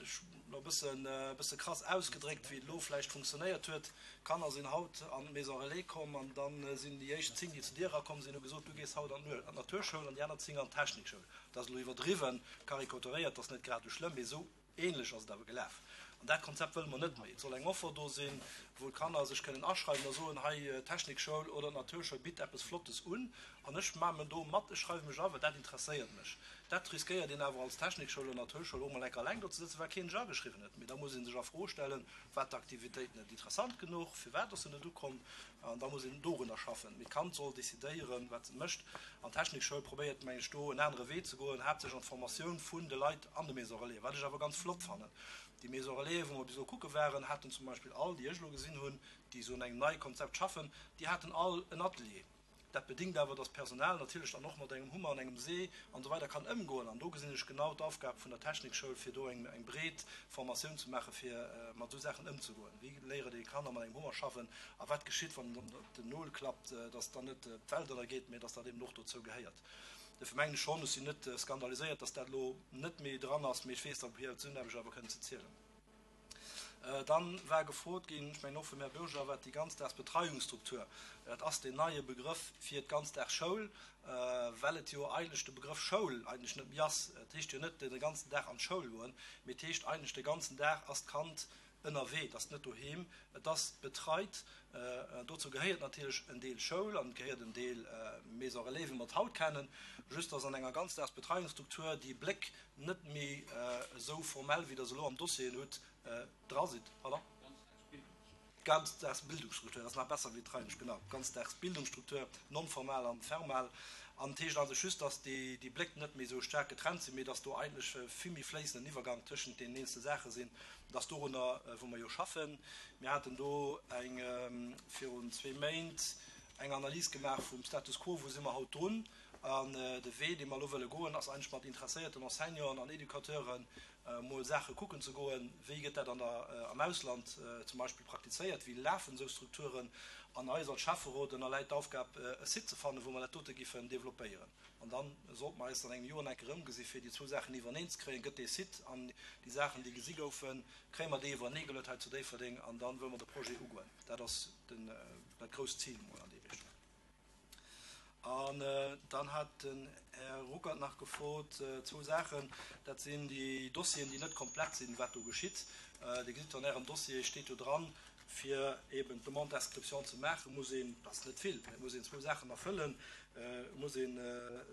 ech elo e bëssen, e bësse krass ausgedréckt, wéi et elo vläicht funktionéiert huet, D'Kanner sinn haut an d'Maison Relais komm an da sinn déi éischt 10, déi zu dir erakomm sinn, hu gesot, du gees haut an d'Naturschoul an déi aner 10 an d'Technikschoul. Dat ass elo iwwerdriwwen, karikaturéiert, dat ass net grad esou schlëmm, mee esou ähnlech ass et awer gelaf. An dat Konzept wëlle mer net méi. Et soll eng Offer do sinn, wou d'Kanner sech kënnen aschreiwen a soen, hei d'Technikschoul oder d'Naturschoul bitt eppes Flottes un an ech maachen do mat, ech schreiwe mech a well dat interesséiert mech. Dat riskéiert een awer als Technikschoul oder Naturschoul och mol enk alleng do ze sëtzen, well keen sech ageschriwwen huet. Mee da muss ee sech a Fro stellen, War d'Aktivitéit net interessant genuch? Firwat ass se net ukomm? An da muss een dorunner schaffen. Mee d'Kand soll decidéieren, wat et mécht. An d'Technikschoul probéiert, meng ech, do en anere Wee ze goen, haaptsächlech an d'Formatioun vun de Leit an de Maisons Relais, wat ech awer ganz flott fannen. Déi Maisons Relaisen, wou mer bis elo kucke waren, haten zum Beispill all, déi ech elo gesinn hunn, déi esou un engem neie Konzept schaffen, déi haten all en Atelier. Dat bedingt awer, dass d'Personal natierlech dann och mat engem Hummer an engem See an esou weider kann ëmgoen. An do gesinn ech genau d'Aufgab vun der Technikschoul, fir do eng breet Formatioun ze maachen, fir mat esou Saachen ëmzegoen. Wéi léiere déi Kanner mat engem Hummer schaffen a wat geschitt, wann en op den Nol klappt, dass dann net d'Welt ënnergeet, mä dass dat eben och dozou gehéiert. Dofir mengen ech schonn, ech sinn net skandaliséiert, dass dat elo net méi dran ass, mee ech weess, datt op hir Zesummenaarbecht awer kënnen ze zielen. Dann war gefrot ginn, ech mengen och vum Här Bürger, wat déi Ganzdagsbetreiungsstruktur, dat ass deen neie Begrëff fir d'Ganzdagsschoul, well et jo eigentlech de Begrëff Schoul eigentlech net méi ass. Et heescht jo net de ganzen Dag an d'Schoul goen, mee et heescht eigentlech de ganzen Dag ass d'Kand ënnerwee, et ass net doheem, et ass betreit. Dozou gehéiert natierlech en Deel Schoul an et gehéiert en Deel Maison relais, wéi mer et haut kennen, just dass an enger Ganzdagsbetreiungsstruktur déi Bléck net méi esou formell, wéi Der se elo am Dossier hutt, dra sidd. Pardon? D'Ganzdagsbildungsstruktur, dat ass nach besser wéi d'Reinesch, genau, d'Ganzdagsbildungsstruktur, non-formal an fermal. An et heescht also just, dass déi Bléck net méi esou staark getrennt sinn, mee dass do eigentlech e vill méi fléissenden Iwwergang tëschent deenen eenzele Saache sinn. Dat ass dorunner, wou mer jo schaffen. Mir haten do eng virun zwee Méint eng Analys gemaach vum Status quo, wou si mer haut drun? An de Wee, dee mer elo wëlle goen, ass eigentlech mat interesséierten Enseignanten an Educateuren mol Saache kucken ze goen, wéi gëtt dat an der, am Ausland zum Beispill praktizéiert, wéi lafen esou Strukturen. An eis als Schäfferot ënnerläit d'Aufgab, e Site ze fannen, wou mer dat dote giffen developpéieren. An da sollte mer eis an engem Joer nach eng Kéier erëmgesi fir déi zwou Saachen iwwerneen ze kréien. Gëtt dee Site an déi Saachen, déi gesi goufen, kréie mer déi iwwerenee geluet hei zu Déifferdeng an da wëlle mer de Projet ugoen. Dat ass den, dat grousst Zil emol an déi Richtung. An dann hat den Här Ruckert nach gefrot zwou Saachen. Dat sinn déi Dossieren, déi net komplett sinn, wat do geschitt. Dir gesitt an Ärem Dossier steet jo dran, fir eben d'Demande d'inscription ze maachen, muss een, dat ass net vill, mä et muss een zwou Saachen erfëllen, Et muss een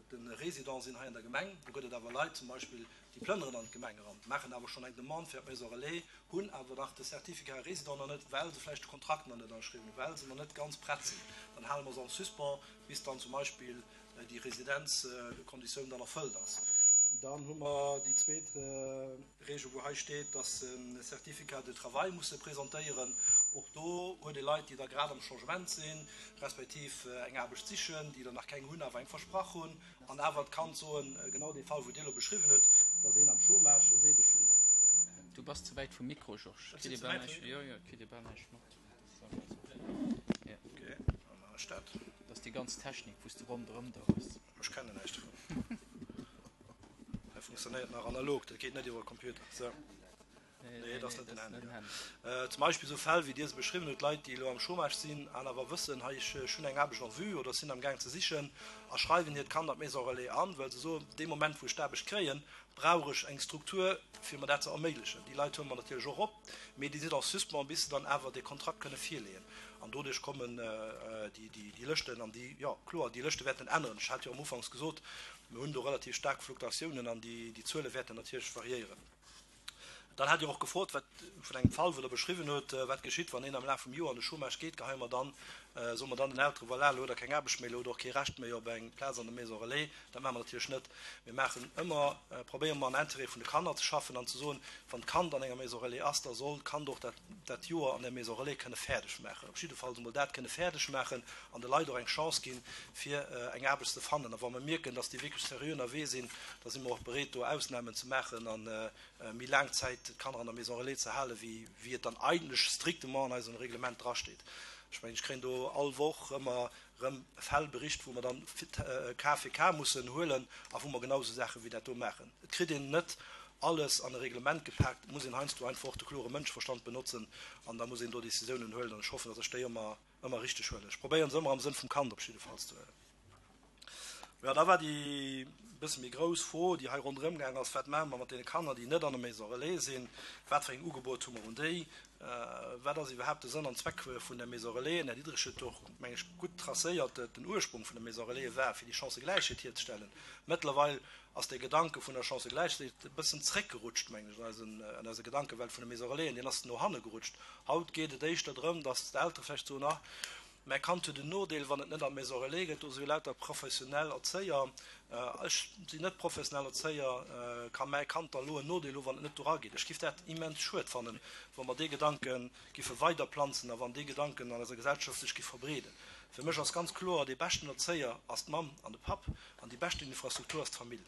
de Résident sinn hei an der Gemeng. Do gëtt et awer Leit zum Beispill, déi plënneren an d'Gemeng eran, maachen awer schonn eng Demande fir d'Maison relais, hunn awer nach de Certificat résident nach net, well se vläicht de Kontrakt nach net ënnerschriwwen hunn, well se nach net ganz prett sinn. Dann hale mer se en suspens, bis dann zum Beispill déi Residenzkonditioun dann erfëllt ass. Dann hu mer déi zweet Regel, wou hei steet, dass se e Certificat de travail musse presentéieren. Och do huet ee Leit, déi da grad am Changement sinn, respektiv eng Aarbecht sichen, déi der nach keng hunn, awer eng versprach hunn. An awer d'Kand soen, genau dee Fall, wou Dir elo beschriwwen hutt, dass een am Chômage seet, ech hunn. Du bass ze wäit vum Mikro, Georges. Ech sinn ze wäit vum Mikro? Jo, jo, et kritt ee bal näischt mat. Ok, da maachen ech dat. Dat ass déi ganz Technik, wou s de ronderëm do hues. Ech kennen näischt dovun. Hei funktionéiert nach analog, dat geet net iwwer e Computer. Sou. Nee, dat ass net den Handy. Zum Beispill esou Fäll, wéi Dir se beschriwwen hutt, Leit, déi elo am Chômage sinn an awer wëssen, hei, ech hunn eng Aarbecht en vue oder sinn amgaang ze sichen a schreiwen hiert Kand an d'Maison relais an, well se soen, dee Moment, wou ech d'Aarbecht kréien, brauch ech eng Struktur, fir mer dat ze erméiglechen. Déi Leit huele mer natierlech och op, mee déi sinn en suspens, bis se dann awer dee Kontrakt kënne virleeën. An doduerch kommen déi Lëschten an déi, jo, kloer, déi Lëschte wäerten änneren. Ech hat jo am Ufanks gesot, mir hunn do relativ staark Fluktuatiounen an déi Zuele wäerten natierlech variéieren. Dann hat Dir och gefrot, wat, vun engem Fall, wou Der beschriwwen hutt, wat geschitt, wann een am Laf vum Joer an de Chômage geet. Geheie mer dann, soe mer dann den Elteren, voilà, elo hutt Der keng Aarbecht méi, elo hutt Der och kee Recht méi op eng Plaz an der Maison relais. Dat maache mer natierlech net. Mir maachen ëmmer, probéiere mer am Intérêt vun de Kanner ze schaffen an ze soen, wann d'Kand an enger Maison relais ass, da soll d'Kand och dat, dat Joer an der Maison relais kënne fäerdeg maachen. Op jidde Fall emol dat kënne fäerdeg maachen an de Leit och eng Chance ginn, fir eng Aarbecht ze fannen. A wa mer mierken, dass déi wierklech seriö ënnerwee sinn, da si mer och bereet, do Ausnamen ze maachen a méi laang Zäit d'Kanner an der Maison relais ze halen, wéi wéi et dann eigentlech strictement an eisem Reglement drasteet. Ech mengen, ech kréien do all Woch ëmmer erëm Fäll bericht, wou mer dann Cas fir Cas mussen huelen a wou mer genau esou Saache wéi dat do maachen. Et kritt een net alles an e Reglement gepaakt, et muss een heiansdo einfach och de klore Mënscheverstand benotzen an da muss een do Décisiounen huelen an ech hoffen, datt ech déi ëmmer, ëmmer richteg huelen. Ech probéieren se ëmmer am Sënn vum Kand op jiddefalls ze huelen. Jo, da war déi bësse méi grouss Fro, déi hei ronderëm gaang ass, Wat maache mer mat deene Kanner, déi net an der Maison relais sinn? Wat fir eng Ugebot hu mer un déi? Wat ass iwwerhaapt de Sënn an Zweck vun der Maison relais? Den Här Diderich huet och, meng ech, gutt tracéiert, Den Ursprung vun der Maison relais war, fir déi Chancëgläichheet hierzestellen. Mëttlerweil ass dee Gedanke vun der Chancëgläichheet e bëssen zréckgerutscht, mengen ech, an eisen, an eiser Gedankewelt vun de Maison relaisen. Deen ass no hanne gerutscht. Haut geet et éischter drëm, datt d'Eltere vläicht soen, Ah, mäi Kand huet en Nodeel, wann et net an d'Maison relais gëtt, do si jo lauter professionell Erzéier, ech sinn net professionell Erzéier, ka mäi Kand da lo en Nodeel hu wann et net do erageet? Ech giff dat immens schued fannen, wa mer dee Gedanke giffe weiderplanzen a wann dee Gedanken an eiser Gesellschaft sech giff verbreeden. Fir mech ass ganz kloer, dee beschten Erzéier ass d'Mamm an de Papp an déi beschten Infrastruktur ass d'Famill.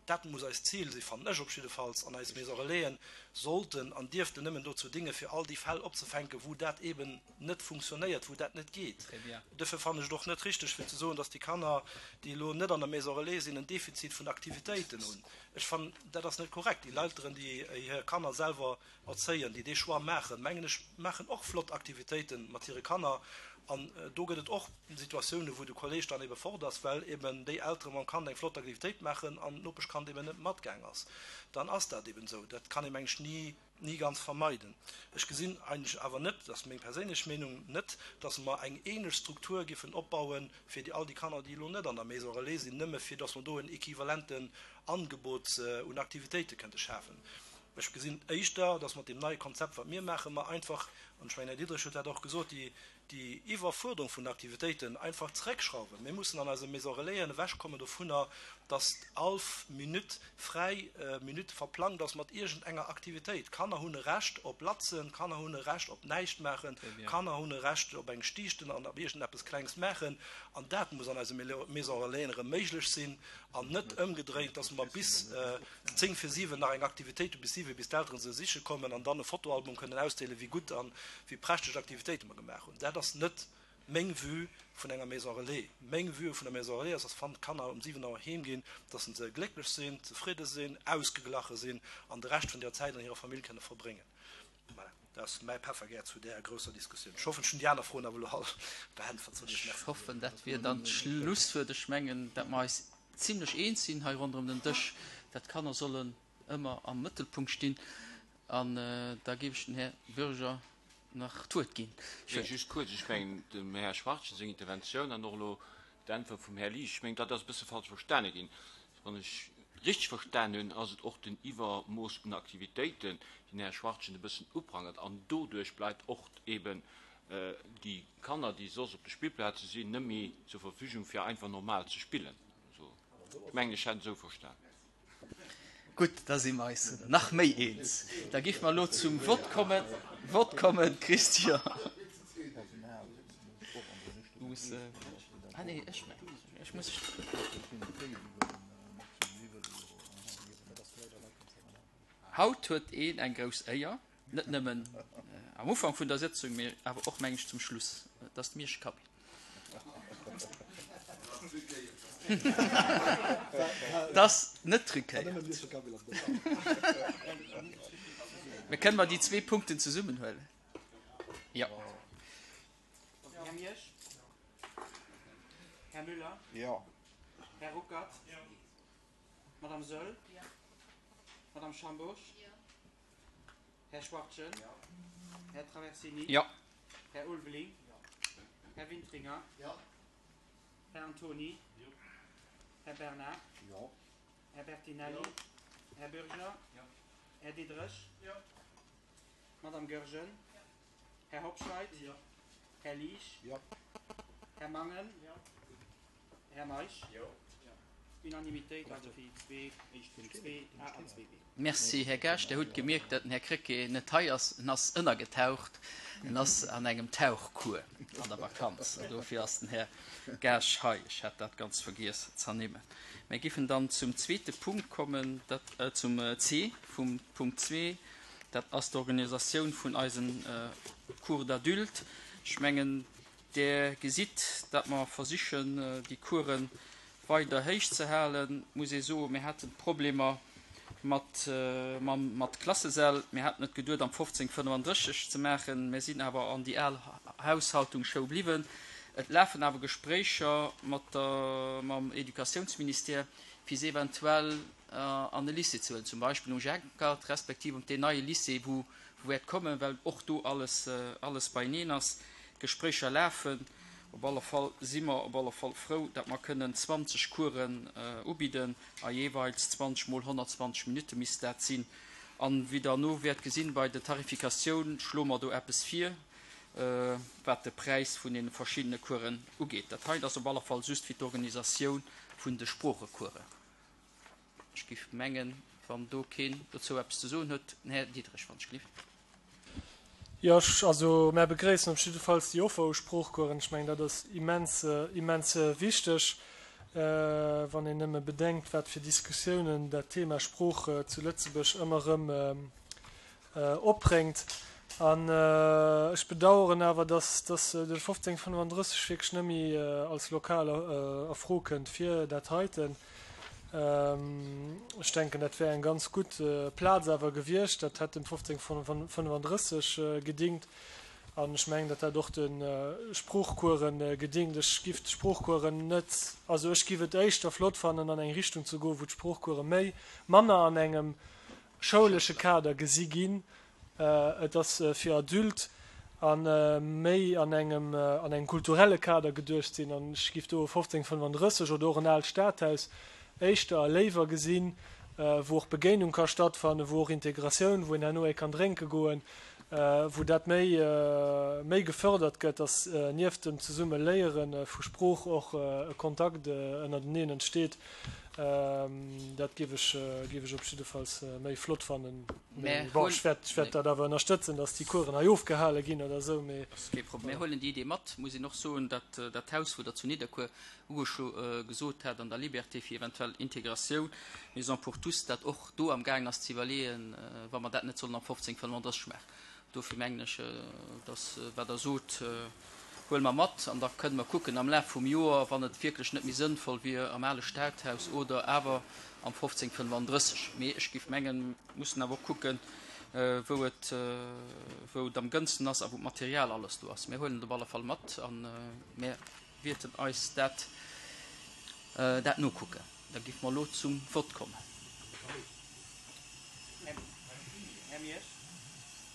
Dat muss eist Zil sinn, fannen ech op jiddefalls, an eis Maison Relaisen sollten an dierften nëmmen dozou dinge fir all déi Fäll opzefänken, wou dat eben net funktionéiert, wou dat net geet. Duerfir fannen ech et och net richteg fir ze soen, dass déi Kanner, déi elo net an der Maison Relais sinn, en Defizit vun Aktivitéiten hunn. Ech fannen, dat ass net korrekt. Déi Elteren, déi hir Kanner selwer erzéien, déi dee Choix maachen, mengen ech, maachen och flott Aktivitéite mat hire Kanner. An do gëtt et och Situatiounen, wou de Kolleg dann ebe fort ass, well eben déi Eltere mam Kand eng flott Aktivitéit maachen an d'Nopeschkand eben net matgaang ass. Dann ass dat eben esou. Dat kann ee, meng ech, ni, ni ganz vermeiden. Ech gesinn eigentlech awer net, dat ass meng perséinlech Meenung, net, dass mer eng ähnlech Struktur giffen opbauen fir déi all déi Kanner, déi elo net an der Maison relais sinn, nëmme fir dass mer do en equivalenten Angebot un Aktivitéite kënnte schafen. Ech gesinn éischter, dass mat deem neie Konzept, wat mir maachen, mer einfach. An ech mengen, Här Diderich huet dat och gesot, déi, déi Iwwerfuerderung vun den Aktivitéiten einfach zeréckschrauwen. Mir mussen an eise Maison Relaisen ewechkommen dovunner, dass all Minutt fräi Minutt verplangt ass mat iergendenger Aktivitéit. D'Kanner hunn e Recht op Latzen, d'Kanner hunn e Recht op näischt maachen, d'Kanner hunn e Recht op eng Stiichten an op iergendeppes Klengs maachen. An dat muss an eise Maison Relaisen erëm méiglech sinn an net ëmgedréint, dass mer bis 10 vir 7 nach eng Aktivitéit hu bis 7, bis d'Elteren se siche kommen an dann e Fotoalbum kënnen ausdeelen, wéi gutt an wéi prächteg Aktivitéite mer gemaach hunn. Dat ass net meng Vue vun enger Maison Relais. Meng Vue vun der Maison Relais ass, dass wann d'Kanner um 7 Auer heem ginn, dass se glécklech sinn, zefridde sinn, ausgeglache sinn an de Rescht vun der Zäit an hirer Famill kënne verbréngen. Voilà, dat ass mäi Peffergär zu där grousser Diskussioun. Ech hoffen, ech hunn déi aner Froen awer elo all beäntwert. Soen ech Merci. Ech hoffen, dat wier dann d'Schlusswuert. Ech mengen, datt mer eis zimlech eens sinn hei ronderëm den Dësch, datt d'Kanner sollen ëmmer am Mëttelpunkt stinn. An da géif ech dem Här Bürger nach d'Wuert ginn. Nee, just kuerz. Ech mengen, dem Här Schwachtgen seng Interventioun an och elo d'Äntwert vum Här Liesch, ech mengen, dat ass e bësse falsch verstane ginn. Wann ech richteg verstan hunn, ass et och den Iwwermooss un Aktivitéiten, déi den Här Schwachtgen e bëssen uprangert. An doduerch bleift och eben déi Kanner, déi soss op de Spillplaze sinn, net méi zur Verfügung, fir einfach normal ze spillen. Ech mengen, ech hätt et esou verstan. Gutt, da si mer eis nach méi eens. Da géife mer elo zum Vott kommen. Vott kommen, Christian. Du muss, ah nee, ech, ech muss. Haut huet een eng grouss Éier, net nëmmen am Ufank vun der Sëtzung, mee awer och, meng ech, zum Schluss. Et ass d'Miersch Kabinn. Et ass net truquéiert. Mee kënne mer déi zwee Punkten zesummenhuelen? Jo. Här Miersch? Här Müller? Jo. Här Ruckert? Jo. Madame Soll? Jo. Madame Schambourg? Jo. Här Schwachtgen? Jo. Här Traversini? Jo. Här Ulveling? Jo. Här Wintringer? Jo. Här Antony? Jo. Här Bernard? Jo. Här Bertinelli? Jo. Här Bürger? Jo. Här Diderich? Jo. Madame Goergen? Jo. Här Hobscheit? Jo. Här Liesch? Jo. Här Mangen? Jo. Här Meisch? Jo. Unanimitéit, also fir déi zwee éischt Punkt 2 a an 2 b. Merci, Här Gaasch. Der hutt gemierkt, datt den Här Krecké net hei ass. En ass ënnergetaucht. En ass an engem Tauchcours an der Vakanz. An dofir ass den Här Gaasch hei. Ech hat dat ganz vergiess z'ernimmen. Mir giffen dann zum zweete Punkt kommen, dat, zum C vum Punkt 2. Dat ass d'Organisatioun vun eisen Cours d'adultes. Ech mengen, Der gesitt, datt mer versichen, déi Course weider héich ze halen. Et muss ee soen, mir haten Problemer mat, mam, mat Klassesäll. Mir haten et geduet, am 1535 ze maachen. Mir sinn awer an déi al Haushaltungsschoul bliwwen. Et lafen awer Gespréicher mat der, mam Educatiounsministère, fir se eventuell an e Lycée ze huelen, zum Beispill um Jenkert, respektiv op deen neie Lycée, wou wäert kommen, well och do alles, alles beieneen ass. D'Gespréicher lafen. Op alle Fall si mer op alle Fall frou, datt mer kënnen 20 Coursen ubidden a jeeweils 20 mol 120 Minutte misst dat sinn. An wéi Der elo wäert gesinn, bei der Tarifikatioun schloe mer do eppes vir, wat de Präis vun deene verschiddene Coursen ugeet. Dat hei ass op alle Fall just fir d'Organisatioun vun de Sproochecoursen. Ech géif mengen, wann do keen dozou eppes ze soen huet, den Här Diderich, wann ech gelift. Jo, ech, also mär begréissen op jiddefalls déi Offer u Sproochcoursen. Ech mengen, dat ass immens, immens wichteg, wann een nëmme bedenkt, wat fir Diskussiounen dat Thema Sprooch zu Lëtzebuerg ëmmer erëm opbréngt. An ech bedauern awer, dass de 1535 wierklech net méi als Lokal a Fro kënnt fir dat heiten. Ech denken, dat wär eng ganz gutt Plaz awer gewiescht. Dat hätt dem 1535 gedingt. An ech mengen, datt dat och de Sproochcoursen gedingt. Ech giff d'Sproochcoursen net, also ech giff et éischter flott fannen, an eng Richtung ze goen, wou d'Sproochcourse méi, manner an engem schoulesche Kader gesi ginn. Et ass fir Adulte a méi an engem an engem kulturelle Kader geduecht sinn. An ech giff do e 1535 oder och en aalt Stadhaus éischter a léiwer gesinn, wou och Begéinung ka stattfannen, wou och Integratioun, wou een herno ee kann drénke goen. wou dat méi méi gefördert gëtt, dass nieft dem zesumme Léiere vu Sprooch och e Kontakt ënnerteneen entsteet. Dat géif ech géif ech op jiddefalls méi flott fannen. Mee bon, ech wäert ech wäert dat awer ënnerstëtzen, dass déi Coursen hei ofgehale ginn oder esou, mee. Ass kee Problem. Mir huelen déi Idee mat. Muss een och soen, datt dat Haus, wou Der zu Nidderkuer ugeschlo gesot hat an der Liberté fir eventuell Integratioun, Maison pour tous, dat och do am gaangen ass ze iwwerleeën, wa mer dat net sollen am 1535 maachen. Dofir mengen ech, dass wat Der sot, huele mer mat an da kënne mer kucken am Laf vum Joer, wann et wierklech net méi sënnvoll wier am ale Stadhaus oder awer am 1535. Mee ech géif mengen, mir mussen awer och kucken, wou et wou et am gënnsten ass a wou d'Material alles do ass. Mir huelen et op alle Fall mat a mir wierten eis dat dat nokucken. Da géife mer elo zum Vott kommen. Här Miersch?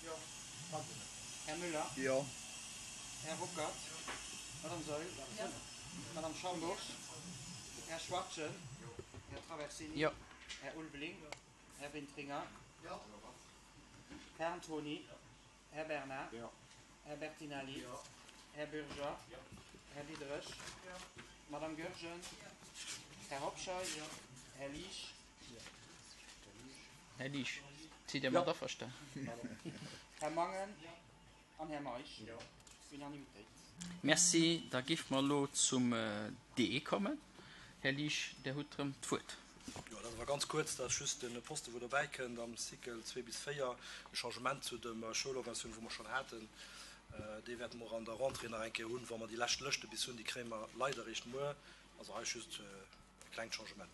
Jo. Här Müller? Jo. Här Ruckert? Madame Saeul? Jo. Madame Schambourg? Här Schwachtgen? Jo. Här Traversini? Jo. Här Ulveling? Jo. Här Wintringer? Jo. Här Antony? Jo. Här Bernard? Jo. Här Bertinelli? Jo. Här Bürger? Jo. Här Diderich? Jo. Madame Goergen? Jo. Här Hobscheit? Jo. Här Liesch? Jo. Här Liesch, sidd Dir mat averstanen? Här Mangen? Jo. An Här Meisch? Jo. Unanimitéit. Merci. Da géife mer elo zum D kommen. Här Liesch, Dir hutt erëm d'Wuert. Jo, dat ass awer ganz kuerz. Dat ass just de Poste wou dobäi kënnt am Cycle 2 bis 4, e Changement zu der Schoulorganisatioun, wou mer schonn haten. Dee wäerte mer och an der Rentrée nach eng Kéier hunn, wa mer déi lescht Lëschte bis hunn. Déi kréie mer leider eréischt muer. Also hei just e klengt Changement.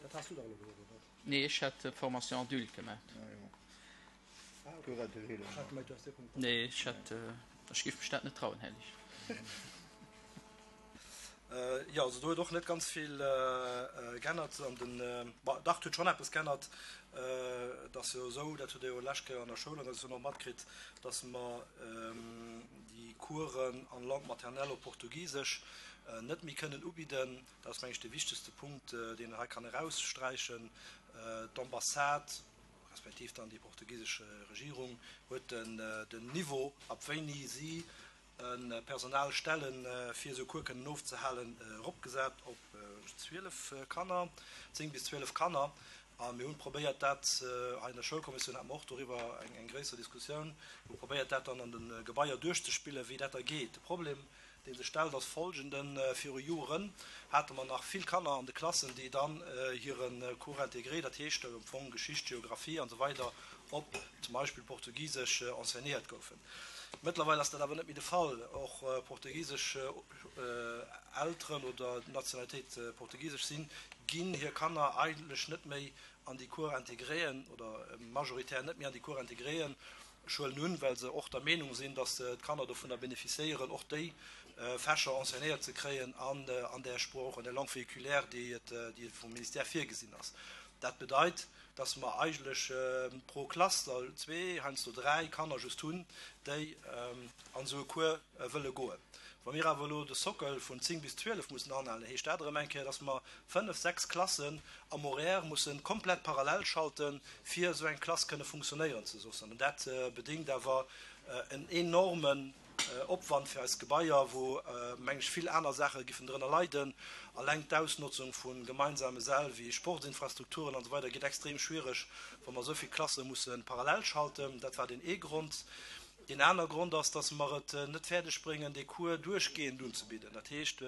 Dat has du dach elo gesot, oder? Nee, ech hat Formation adulte gemaach. Nee, ech hat, ech géif mech dat net trauen, Här Liesch. Jo, also do huet och net ganz vill geännert an den, bon, dach, et huet schonn eppes geännert. Et ass jo esou, dat hutt Dir jo lescht Kéier an der Schoulorganisatioun och matkritt, dass mer déi Coursen en langue maternelle op Portugisesch net méi kënnen ubidden. Dat ass, meng ech, dee wichtegste Punkt, deen een hei kann eraussträichen. D'Ambassade respektiv dann déi portugisesch Regierung huet den Niveau, ab wéini si e Personal stellen, fir esou Cours kënnen ofzehalen, eropgesat op 12 Kanner, 10 bis 12 Kanner. A mir hunn probéiert dat, hei an der Schoulkommissioun hate mer och doriwwer eng gréisser Diskussioun, hu probéiert dat dann an de Gebaier duerchzespillen, wéi dat da geet. De Problem, dee sech stellt, ass folgenden, Viru Joren hate mer nach vill Kanner an de Klassen, déi dann hire Cours intégré, dat heescht am Fong Geschicht, Geographie an esou weider op zum Beispill Portugisesch enseignéiert goufen. Mëttlerweil ass dat awer net méi de Fall. Och portugisesch Elteren oder Nationalitéit portugisesch sinn, ginn hir Kanner eigentlech net méi an déi Cours intégréen oder majoritär net méi an déi Cours intégréen. Ech huelen un, well se och der Meenung sinn, datt d'Kanner dovunner bénéficiéieren, och déi Fächer enseignéiert ze kréien an an där Sprooch, an där Langue véhiculaire, déi et, déi vum Ministère virgesinn ass. Dat bedeit, datt mer eigentlech pro Klass der zwee, heiansdo dräi Kanner just hunn, déi an esou e Cours wëlle goen. Wa mir awer elo de Sockel vun 10 bis 12 mussen anhalen, heescht dat erëm eng Kéier, datt mer fënnef, sechs Klassen am Horaire musse komplett parallel schalten, fir esou eng Klass kënne funktionéieren ze loossen. An dat bedéngt awer en enormen Opwand fir eis Gebaier, wou, meng ech, vill aner Saache giffen drënner leiden. Alleng d'Ausnotzung vu gemeinsame Säll wéi Sportsinfrastrukturen an esou weider gétt extrem schwiereg, wa mer esou vill Klasse musse parallel schalten. Dat war deen ee Grond. Deen aner Grond ass, dass mer et net fäerdeg bréngen, dee Cours duerchgehend unzebidden. Dat heescht,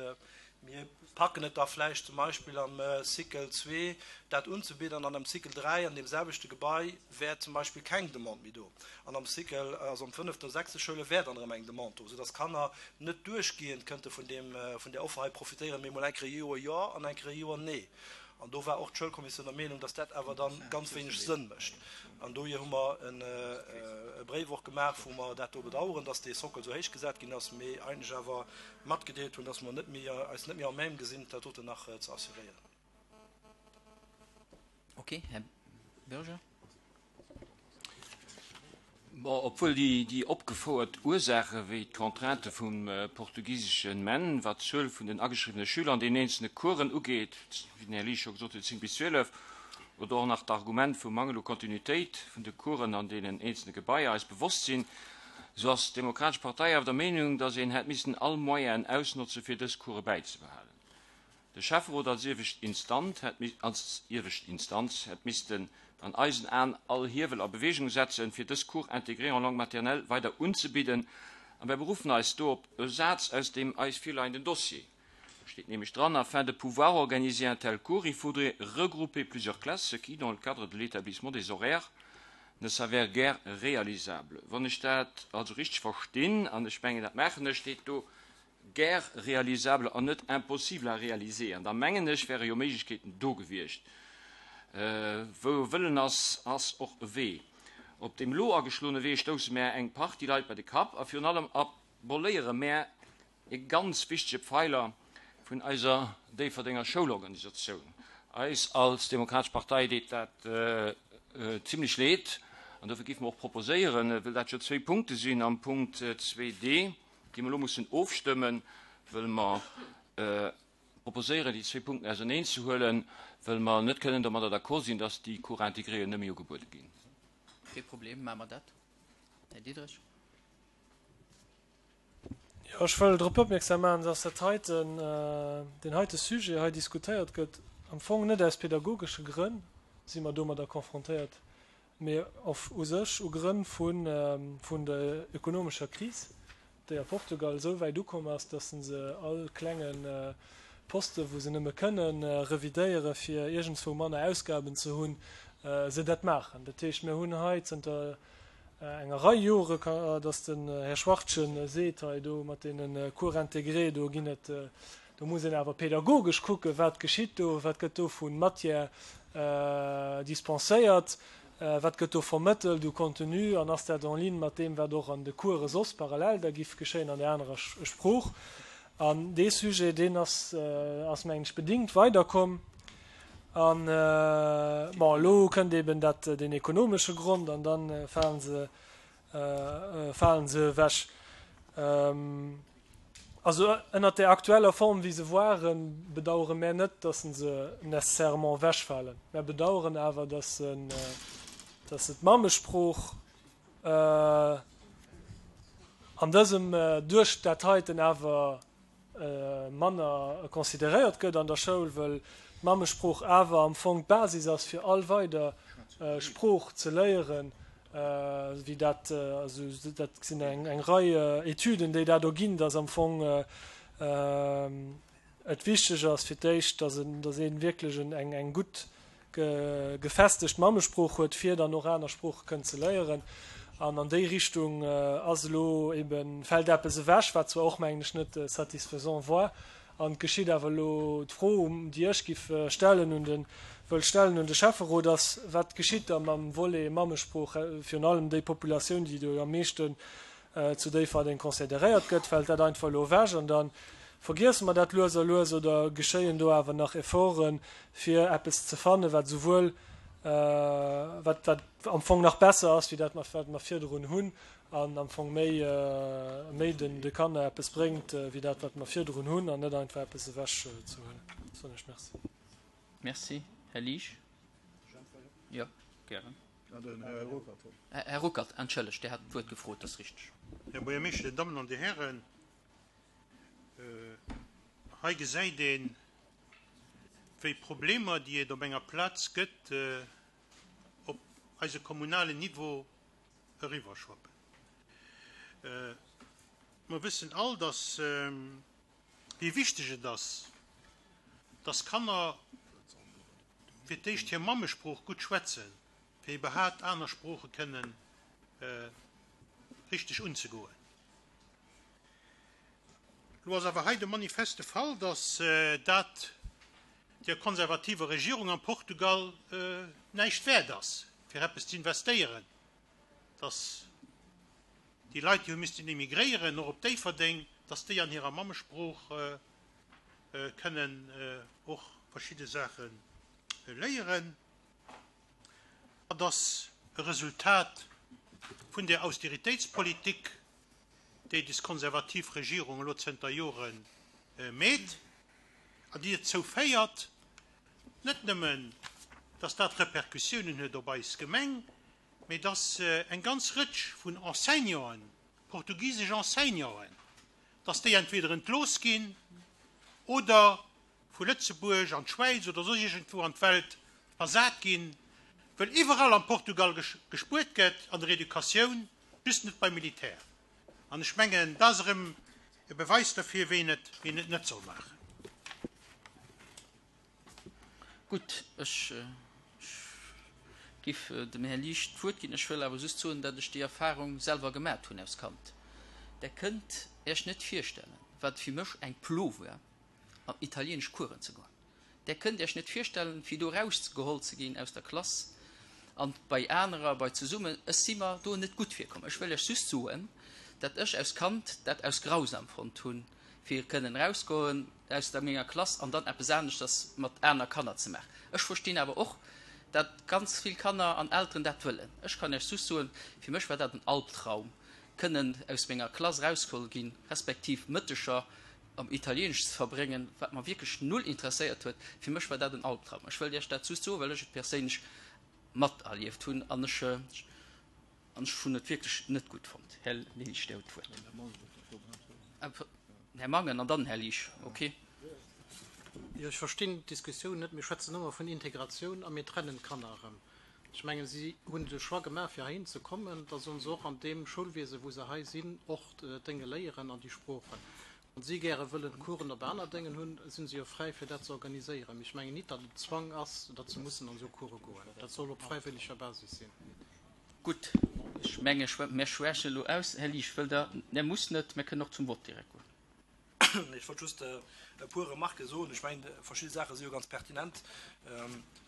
mir packen et da vläicht zum Beispill am Cycle zwee dat unzebidden an am Cycle 3 an deem selwechte Gebai wär zum Beispill keng Demande méi do an am Cycle, also am fënneften oder sechste Schouljoer wär dann erëm eng Demande do, soudass d'Kanner net duerchgehend kënnte vun deem, vun där Offer hei profitéieren, mee emol eng Kéier e Joer jo an eng Kéier e Joer nee. An do war och d'Schoulkommissioun der Meenung, dass dat awer dann ganz wéineg Sënn mécht. An dohier hu mer e Bréif och gemaach, wou mer dat do bedauern, dass dee Sockel esou héich gesat ginn ass, mee eigentlech awer matgedeelt hunn, dass mer net méi, eis net méi à même gesinn, dat doten nach ze assuréieren. Okay, Här Bürger. Bon, obwuel déi opgefouert Ursaache wéi d'Contrainte vum portugisesche MEN, wat d'Zuel vun den ageschriwwene Schüler an den eenzelne Coursen ugeet, wéi den Här Liesch scho gesot huet, 10 bis 12, oder och nach d'Argument vum Mangel u Kontinuitéit vun de Coursen an deenen eenzelne Gebaier eis bewosst sinn, esou ass d'Demokratesch Partei awer der Meenung, datt een hätt missen all Moyenen ausnotze fir dës Course bäizebehalen. De Schäfferot als iewescht Instant hätt als iewescht Instanz hätt missten an eisen Aen all Hiewel a Bewegung setzen, fir dës Cours intégrés en langue maternelle weider unzebidden, a mär beruffen eis do op e Saz aus deem eis virleienden Dossier. Do steet nämlech dran, Afin de pouvoir organiser un tel cours, il faudrait regrouper plusieurs classes, ce qui, dans le cadre de l'établissement des horaires, ne s'avère guère réalisable. Wann ech dat also richteg verstinn, an ech mengen, dat maachen ech, steet do guère réalisable an net impossible à réaliser. An da mengen ech, wäre jo Méiglechkeeten do gewiescht. Wou e Wëllen ass, ass och e Wee. Op deem elo ageschloene Wee stousse mär eng Partie Leit bei de Kapp a virun allem aboléiere mär e ganz wichtege Pfeiler vun eiser Déifferdenger Schoulorganisatioun. Eis als Demokratesch Partei deet dat zimlech leed an dofir géife mer och proposéieren, well dat jo zwéi Punkte sinn am Punkt 2d, déi mer elo mussen ofstëmmen, wëll mer proposéieren, déi zwéi Punkten auserneenzehuelen, wëll mer net kënnen domadder d'accord sinn, dass déi Cours intégréen net méi ugebuede ginn. Kee Problem, maache mer dat. Här Diderich. Jo, ech wëll drop opmierksam maachen, dass dat heiten, deen heite Sujet hei diskutéiert gëtt, am Fong net aus pedagogesche Grënn si mer domadder confrontéiert, mee of u sech u Grënn vun vun der ökonomescher Kris, déi a Portugal esou wäit ukomm ass, dass se all klenge Poste wou se nëmme kënnen revidéiere fir iergendswou manner Ausgaben ze hunn, se dat maachen. Dat heescht, mir hunn hei zënter enger Rei Jore, dass den Här Schwachtgen seet hei do mat deene Cours intégrés, do ginn et, do muss een awer pedagogesch kucken, wat geschitt do, wat gëtt do vu Matière dispenséiert, wat gëtt do vermëttelt u Contenu an ass dat en ligne mat deem, wat och an de Course soss parallel da giff geschéien an där anerer Sprooch. An dee Sujet, deen ass, ass mengen ech, bedingt weiderkomm. An, bon, elo kënnt eben dat, deen ekonomesche Grond an da falen se, falen se ewech. Also ënnert där aktueller Form, wéi se waren, bedauere mär net, dass se nécessairement ewechfalen. Mär bedaueren awer, dass se, dass se d'Mammesprooch an dësem, duerch dat heiten awer manner consideréiert gëtt an der Schoul, wëll d'Mammesprooch awer am Fong d'Basis ass, fir all weider Sprooch ze léieren. Wéi dat, also dat sinn eng eng Rei Etüden, déi dat erginn, datt am Fong et wichteg ass fir d'éischt, datt en, datt ee wierklech eng eng gutt gefestegt Mammesprooch huet, fir dann och aner Sprooche kënnen ze léieren. An an déi Richtung ass elo eben, fält eppes ewech, wat zwar och, mengen ech, net satisfaisant war, An et geschitt awer elo, d'Fro, déi ech giff stellen un de, wëll stellen un de Schäfferot, ass, Wat geschitt da mam Volet Mammesprooch, virun allem déi Populatioun, déi do am meeschten zu Déifferdeng consideréiert gëtt? Fält dat einfach elo ewech an da vergiesse mer dat lues a lues oder geschéien do awer nach Efforten, fir eppes ze fannen, wat esouwuel, wat, wat am Fong nach besser ass wéi dat, wat mer virdrun hunn an am Fong méi, méi den, de Kanner eppes bréngt wéi dat, wat mer virdrun hunn, an net einfach eppes ewech ze huelen. Soen ech Merci. Merci. Här Liesch? Jo, gären. Här Ruckert, entschëllegt, Dir hat d'Wuert gefrot, dat ass richteg. Här Buergermeeschter, Dir Dammen an Dir Hären, hei gesäit een, wéi Problemer, déi et op enger Plaz gëtt, op eise kommunalen Niveau eriwwerschwappen. Mer wëssen all, dass, wéi wichteg et ass, dass Kanner fir d'éischt hir Mammesprooch gutt schwätzen, fir iwwerhaapt aner Sprooche kënnen richteg unzegoen. Elo ass awer hei de manifeste Fall, dass dat der konservativer Regierung am Portugal näischt wäert ass, fir eppes ze investéieren, dass déi Leit, déi hu missten emigréieren, och op Déifferdeng, dass déi an hirer Mammesprooch kënnen och verschidde Saache léieren. Dat ass e Resultat. vun där Austeritéitspolitik, déi des konservativ Regierung elo zënter Jore meet an déi dozou féiert, net nëmmen, dass dat Repercussiounen huet op eis Gemeng, mee dass eng ganz Rëtsch vun Enseignanten, portugisesch Enseignanten, dass déi entweder entlooss ginn oder vu Lëtzebuerg an d'Schwäiz oder soss iergendwou an d'Welt versat ginn, wëll iwwerall am Portugal gespuert gëtt an der Educatioun, just net beim Militär. An ech mengen, dat ass erëm e Beweis derfir, wéi een et, wéi een et net soll maachen. Gutt, ech giff dem Här Liesch d'Wuert ginn. Ech wëll awer just soen, datt ech déi Erfahrung selwer gemat hunn aus Kand. Der kënnt Iech net virstellen, wat fir mech eng Plo war, an italienesch Coursen ze goen. Där kënnt Iech net virstellen, fir do erausgeholl ze ginn aus der Klass an bei anerer, bei zesummen. Ech si mer do net gutt virkomm. Ech wëll Iech just soen, dat ech aus Kand dat aus grausam fonnt hunn, fir kënnen erausgoen aus der menger Klass an dann eppes aneschters mat aner Kanner ze maachen. Ech verstinn awer och, dat ganz vill Kanner an Elteren dat wëllen. Ech kann Iech just soen, fir mech war dat en Albtraum, kënnen aus menger Klass erausgeholl ginn, respektiv Mëtteger am Italieenesch ze verbréngen, wat mer wierklech null interesséiert huet. Fir mech war dat en Albtraum. Ech wëllt Iech dat just soen, well ech et perséinlech materlieft hunn an ech an ech hunn et wierklech net gutt fonnt. Här Liesch, Dir hutt d'Wuert. Här Mangen an dann Här Liesch. Okay. Jo, ech verstinn d'Diskussioun net. Mir schwätzen ëmmer vun Integratioun a mir trennen d'Kanner erëm. Ech mengen, si hunn de Choix gemaach, fir heihin ze kommen. Da sollen se och an deem Schoulwiese wou se hei sinn, och d'Dénge léieren an déi Sproochen. Wann si gäre wëllen Coursen op aner Déngen hunn, sinn se jo fräi fir dat ze organiséieren. Mee ech mengen nit, datt et Zwang ass, datt se mussen an esou Course goen. Dat soll op fräiwëlleger Basis sinn. Gutt, ech menge mir schwächen elo aus. Här Liesch, wëllt Der? Der musst net, mir kënnen och zum Vott direkt goen. Ech wollt just e puer Remarquë soen. Ech mengen, verschidde Saache si jo ganz pertinent.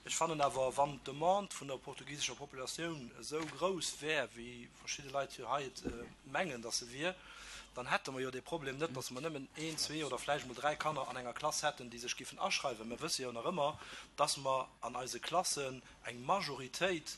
Ech fannen awer, wann d'Demande vun der portugisescher Populatioun esou grouss wär, wéi verschidde Leit jo hei et mengen, datt se wier, dann hätte mer jo dee Problem net, datt mer nëmmen een, zwee oder vläicht emol dräi Kanner an enger Klass hätten, déi sech giffen aschreiwen. Mer wësse jo nach ëmmer, datt mer an eise Klassen eng Majoritéit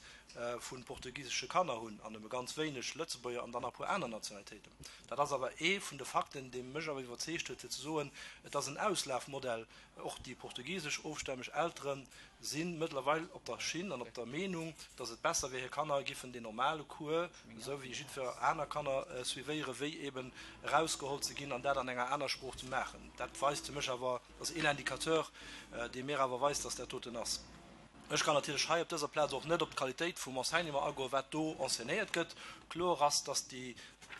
vu portugisesche Kanner hunn an nëmme ganz wéineg Lëtzebuerger an dann nach e puer aner Nationalitéiten. Dat ass awer ee vun de Fakten, dee mech awer iwwerzeegt huet, fir ze soen, et ass en Auslafmodell. Och déi portugisesch ofstämmeg Eltere si mëttlerweil op der Schinn an op der Meenung, datt et besser wier, hir Kanner giffen deen normale Cours, esou wéi jiddwer aner Kanner, suivéieren, wéi eben erausgeholl ze ginn an dat an enger aner Sprooch ze maachen. Dat weist fir mech awer, dat ass een Indicateur, dee mir awer weist, datt dat doten ass. Ech kann natierlech hei op dëser Plaz och net op d'Qualitéit vum Enseignement agoen, wat do enseignéiert gëtt. Kloer ass, dass déi,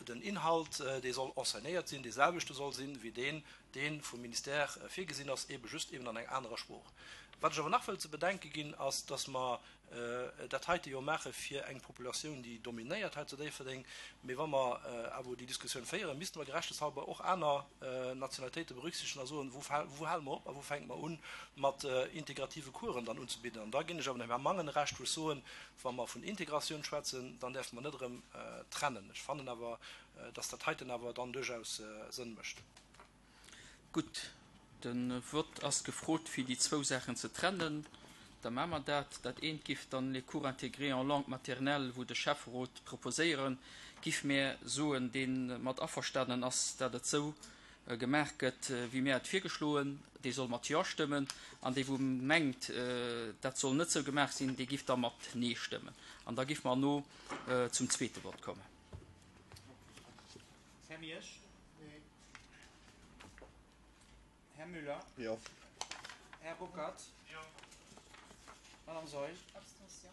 den Inhalt, dee soll enseignéiert sinn, deeselwechte soll sinn, wéi deen, dee vum Ministère virgesinn ass, eebe just eben an enger anerer Sprooch. Wat ech awer nach wëll ze bedenke ginn, ass, dass mer dat heite jo maache fir eng Populatioun, déi dominéiert hei zu Déifferdeng. Mee wa mer awer déi Diskussioun féieren, misste mer gerechteshalber och aner Nationalitéite berücksichtegen a soen, wou wou hale mer op a wou fänke mer un, mat integrative Coursen dann unzebidden. An da ginn ech awer dem Här Mangen Recht, wou ech soen, wa mer vun Integratioun schwätzen, dann däerfe mer net erëm trennen. Ech fannen awer, dass dat heiten awer dann duerchaus Sënn mécht. Gutt, de Vott ass gefrot, fir déi zwou Saachen ze trennen. Da maache mer dat. Dat eent giff dann les cours intégrés en langue maternelle, wou de Schäfferot proposéiere giff, mär soen, dee mat averstanen ass, dat et esou gemaach gëtt, wéi mär et virgeschloen, dee soll mat Jo stëmmen, an dee wou mengt, dat soll net esou gemaach sinn, dee giff da mat Nee stëmmen. An da giff mer elo zum zweete Vott kommen. Här Miersch. Här Müller. Jo. Här Ruckert. Jo. Madame Saeul. Abstention.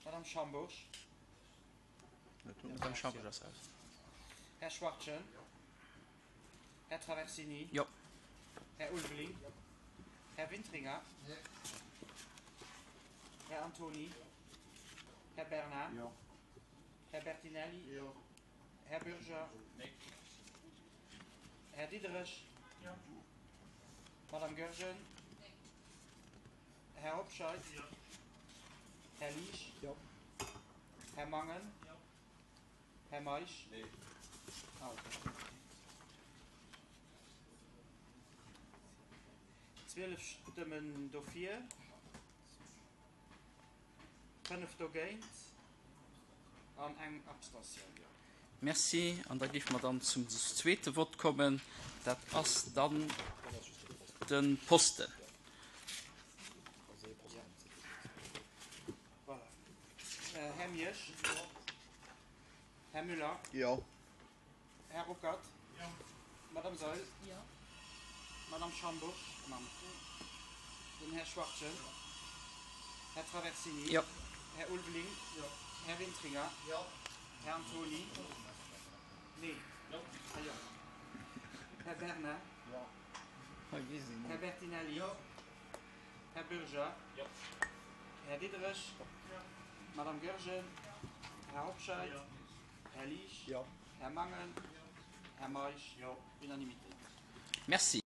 Madame Schambourg. Madame Schambourg ass aus. Här Schwachtgen. Jo. Här Traversini. Jo. Här Ulveling. Jo. Här Wintringer. Nee. Här Antony. Här Bernard. Jo. Här Bertinelli. Jo. Här Bürger. Nee. Här Diderich. Jo. Madame Goergen. Nee. Här Hobscheit. Jo. Här Liesch. Jo. Här Mangen. Jo. Här Meisch. Nee. Ah, okay. 12 Stëmmen dofir, 5 dogéint. An eng Abstentioun. Merci. An da géife mer dann zum zweete Vott kommen. Dat ass dann de Posten. Voilà. Här Miersch. Här Müller. Jo. Här Ruckert. Jo. Madame Saeul. Jo. Madame Schambourg. Den Här Schwachtgen. Jo. Här Traversini. Jo. Här Ulveling. Jo. Här Wintringer. Jo. Här Antony. Nee. Jo. Ah jo. Här Bernard. Jo. Här Bertinelli. Jo. Här Bürger. Jo. Här Diderich. Jo. Madame Goergen. Här Hobscheit. Jo. Här Liesch. Jo. Här Mangen. Jo. Här Meisch. Jo. Unanimité. Merci.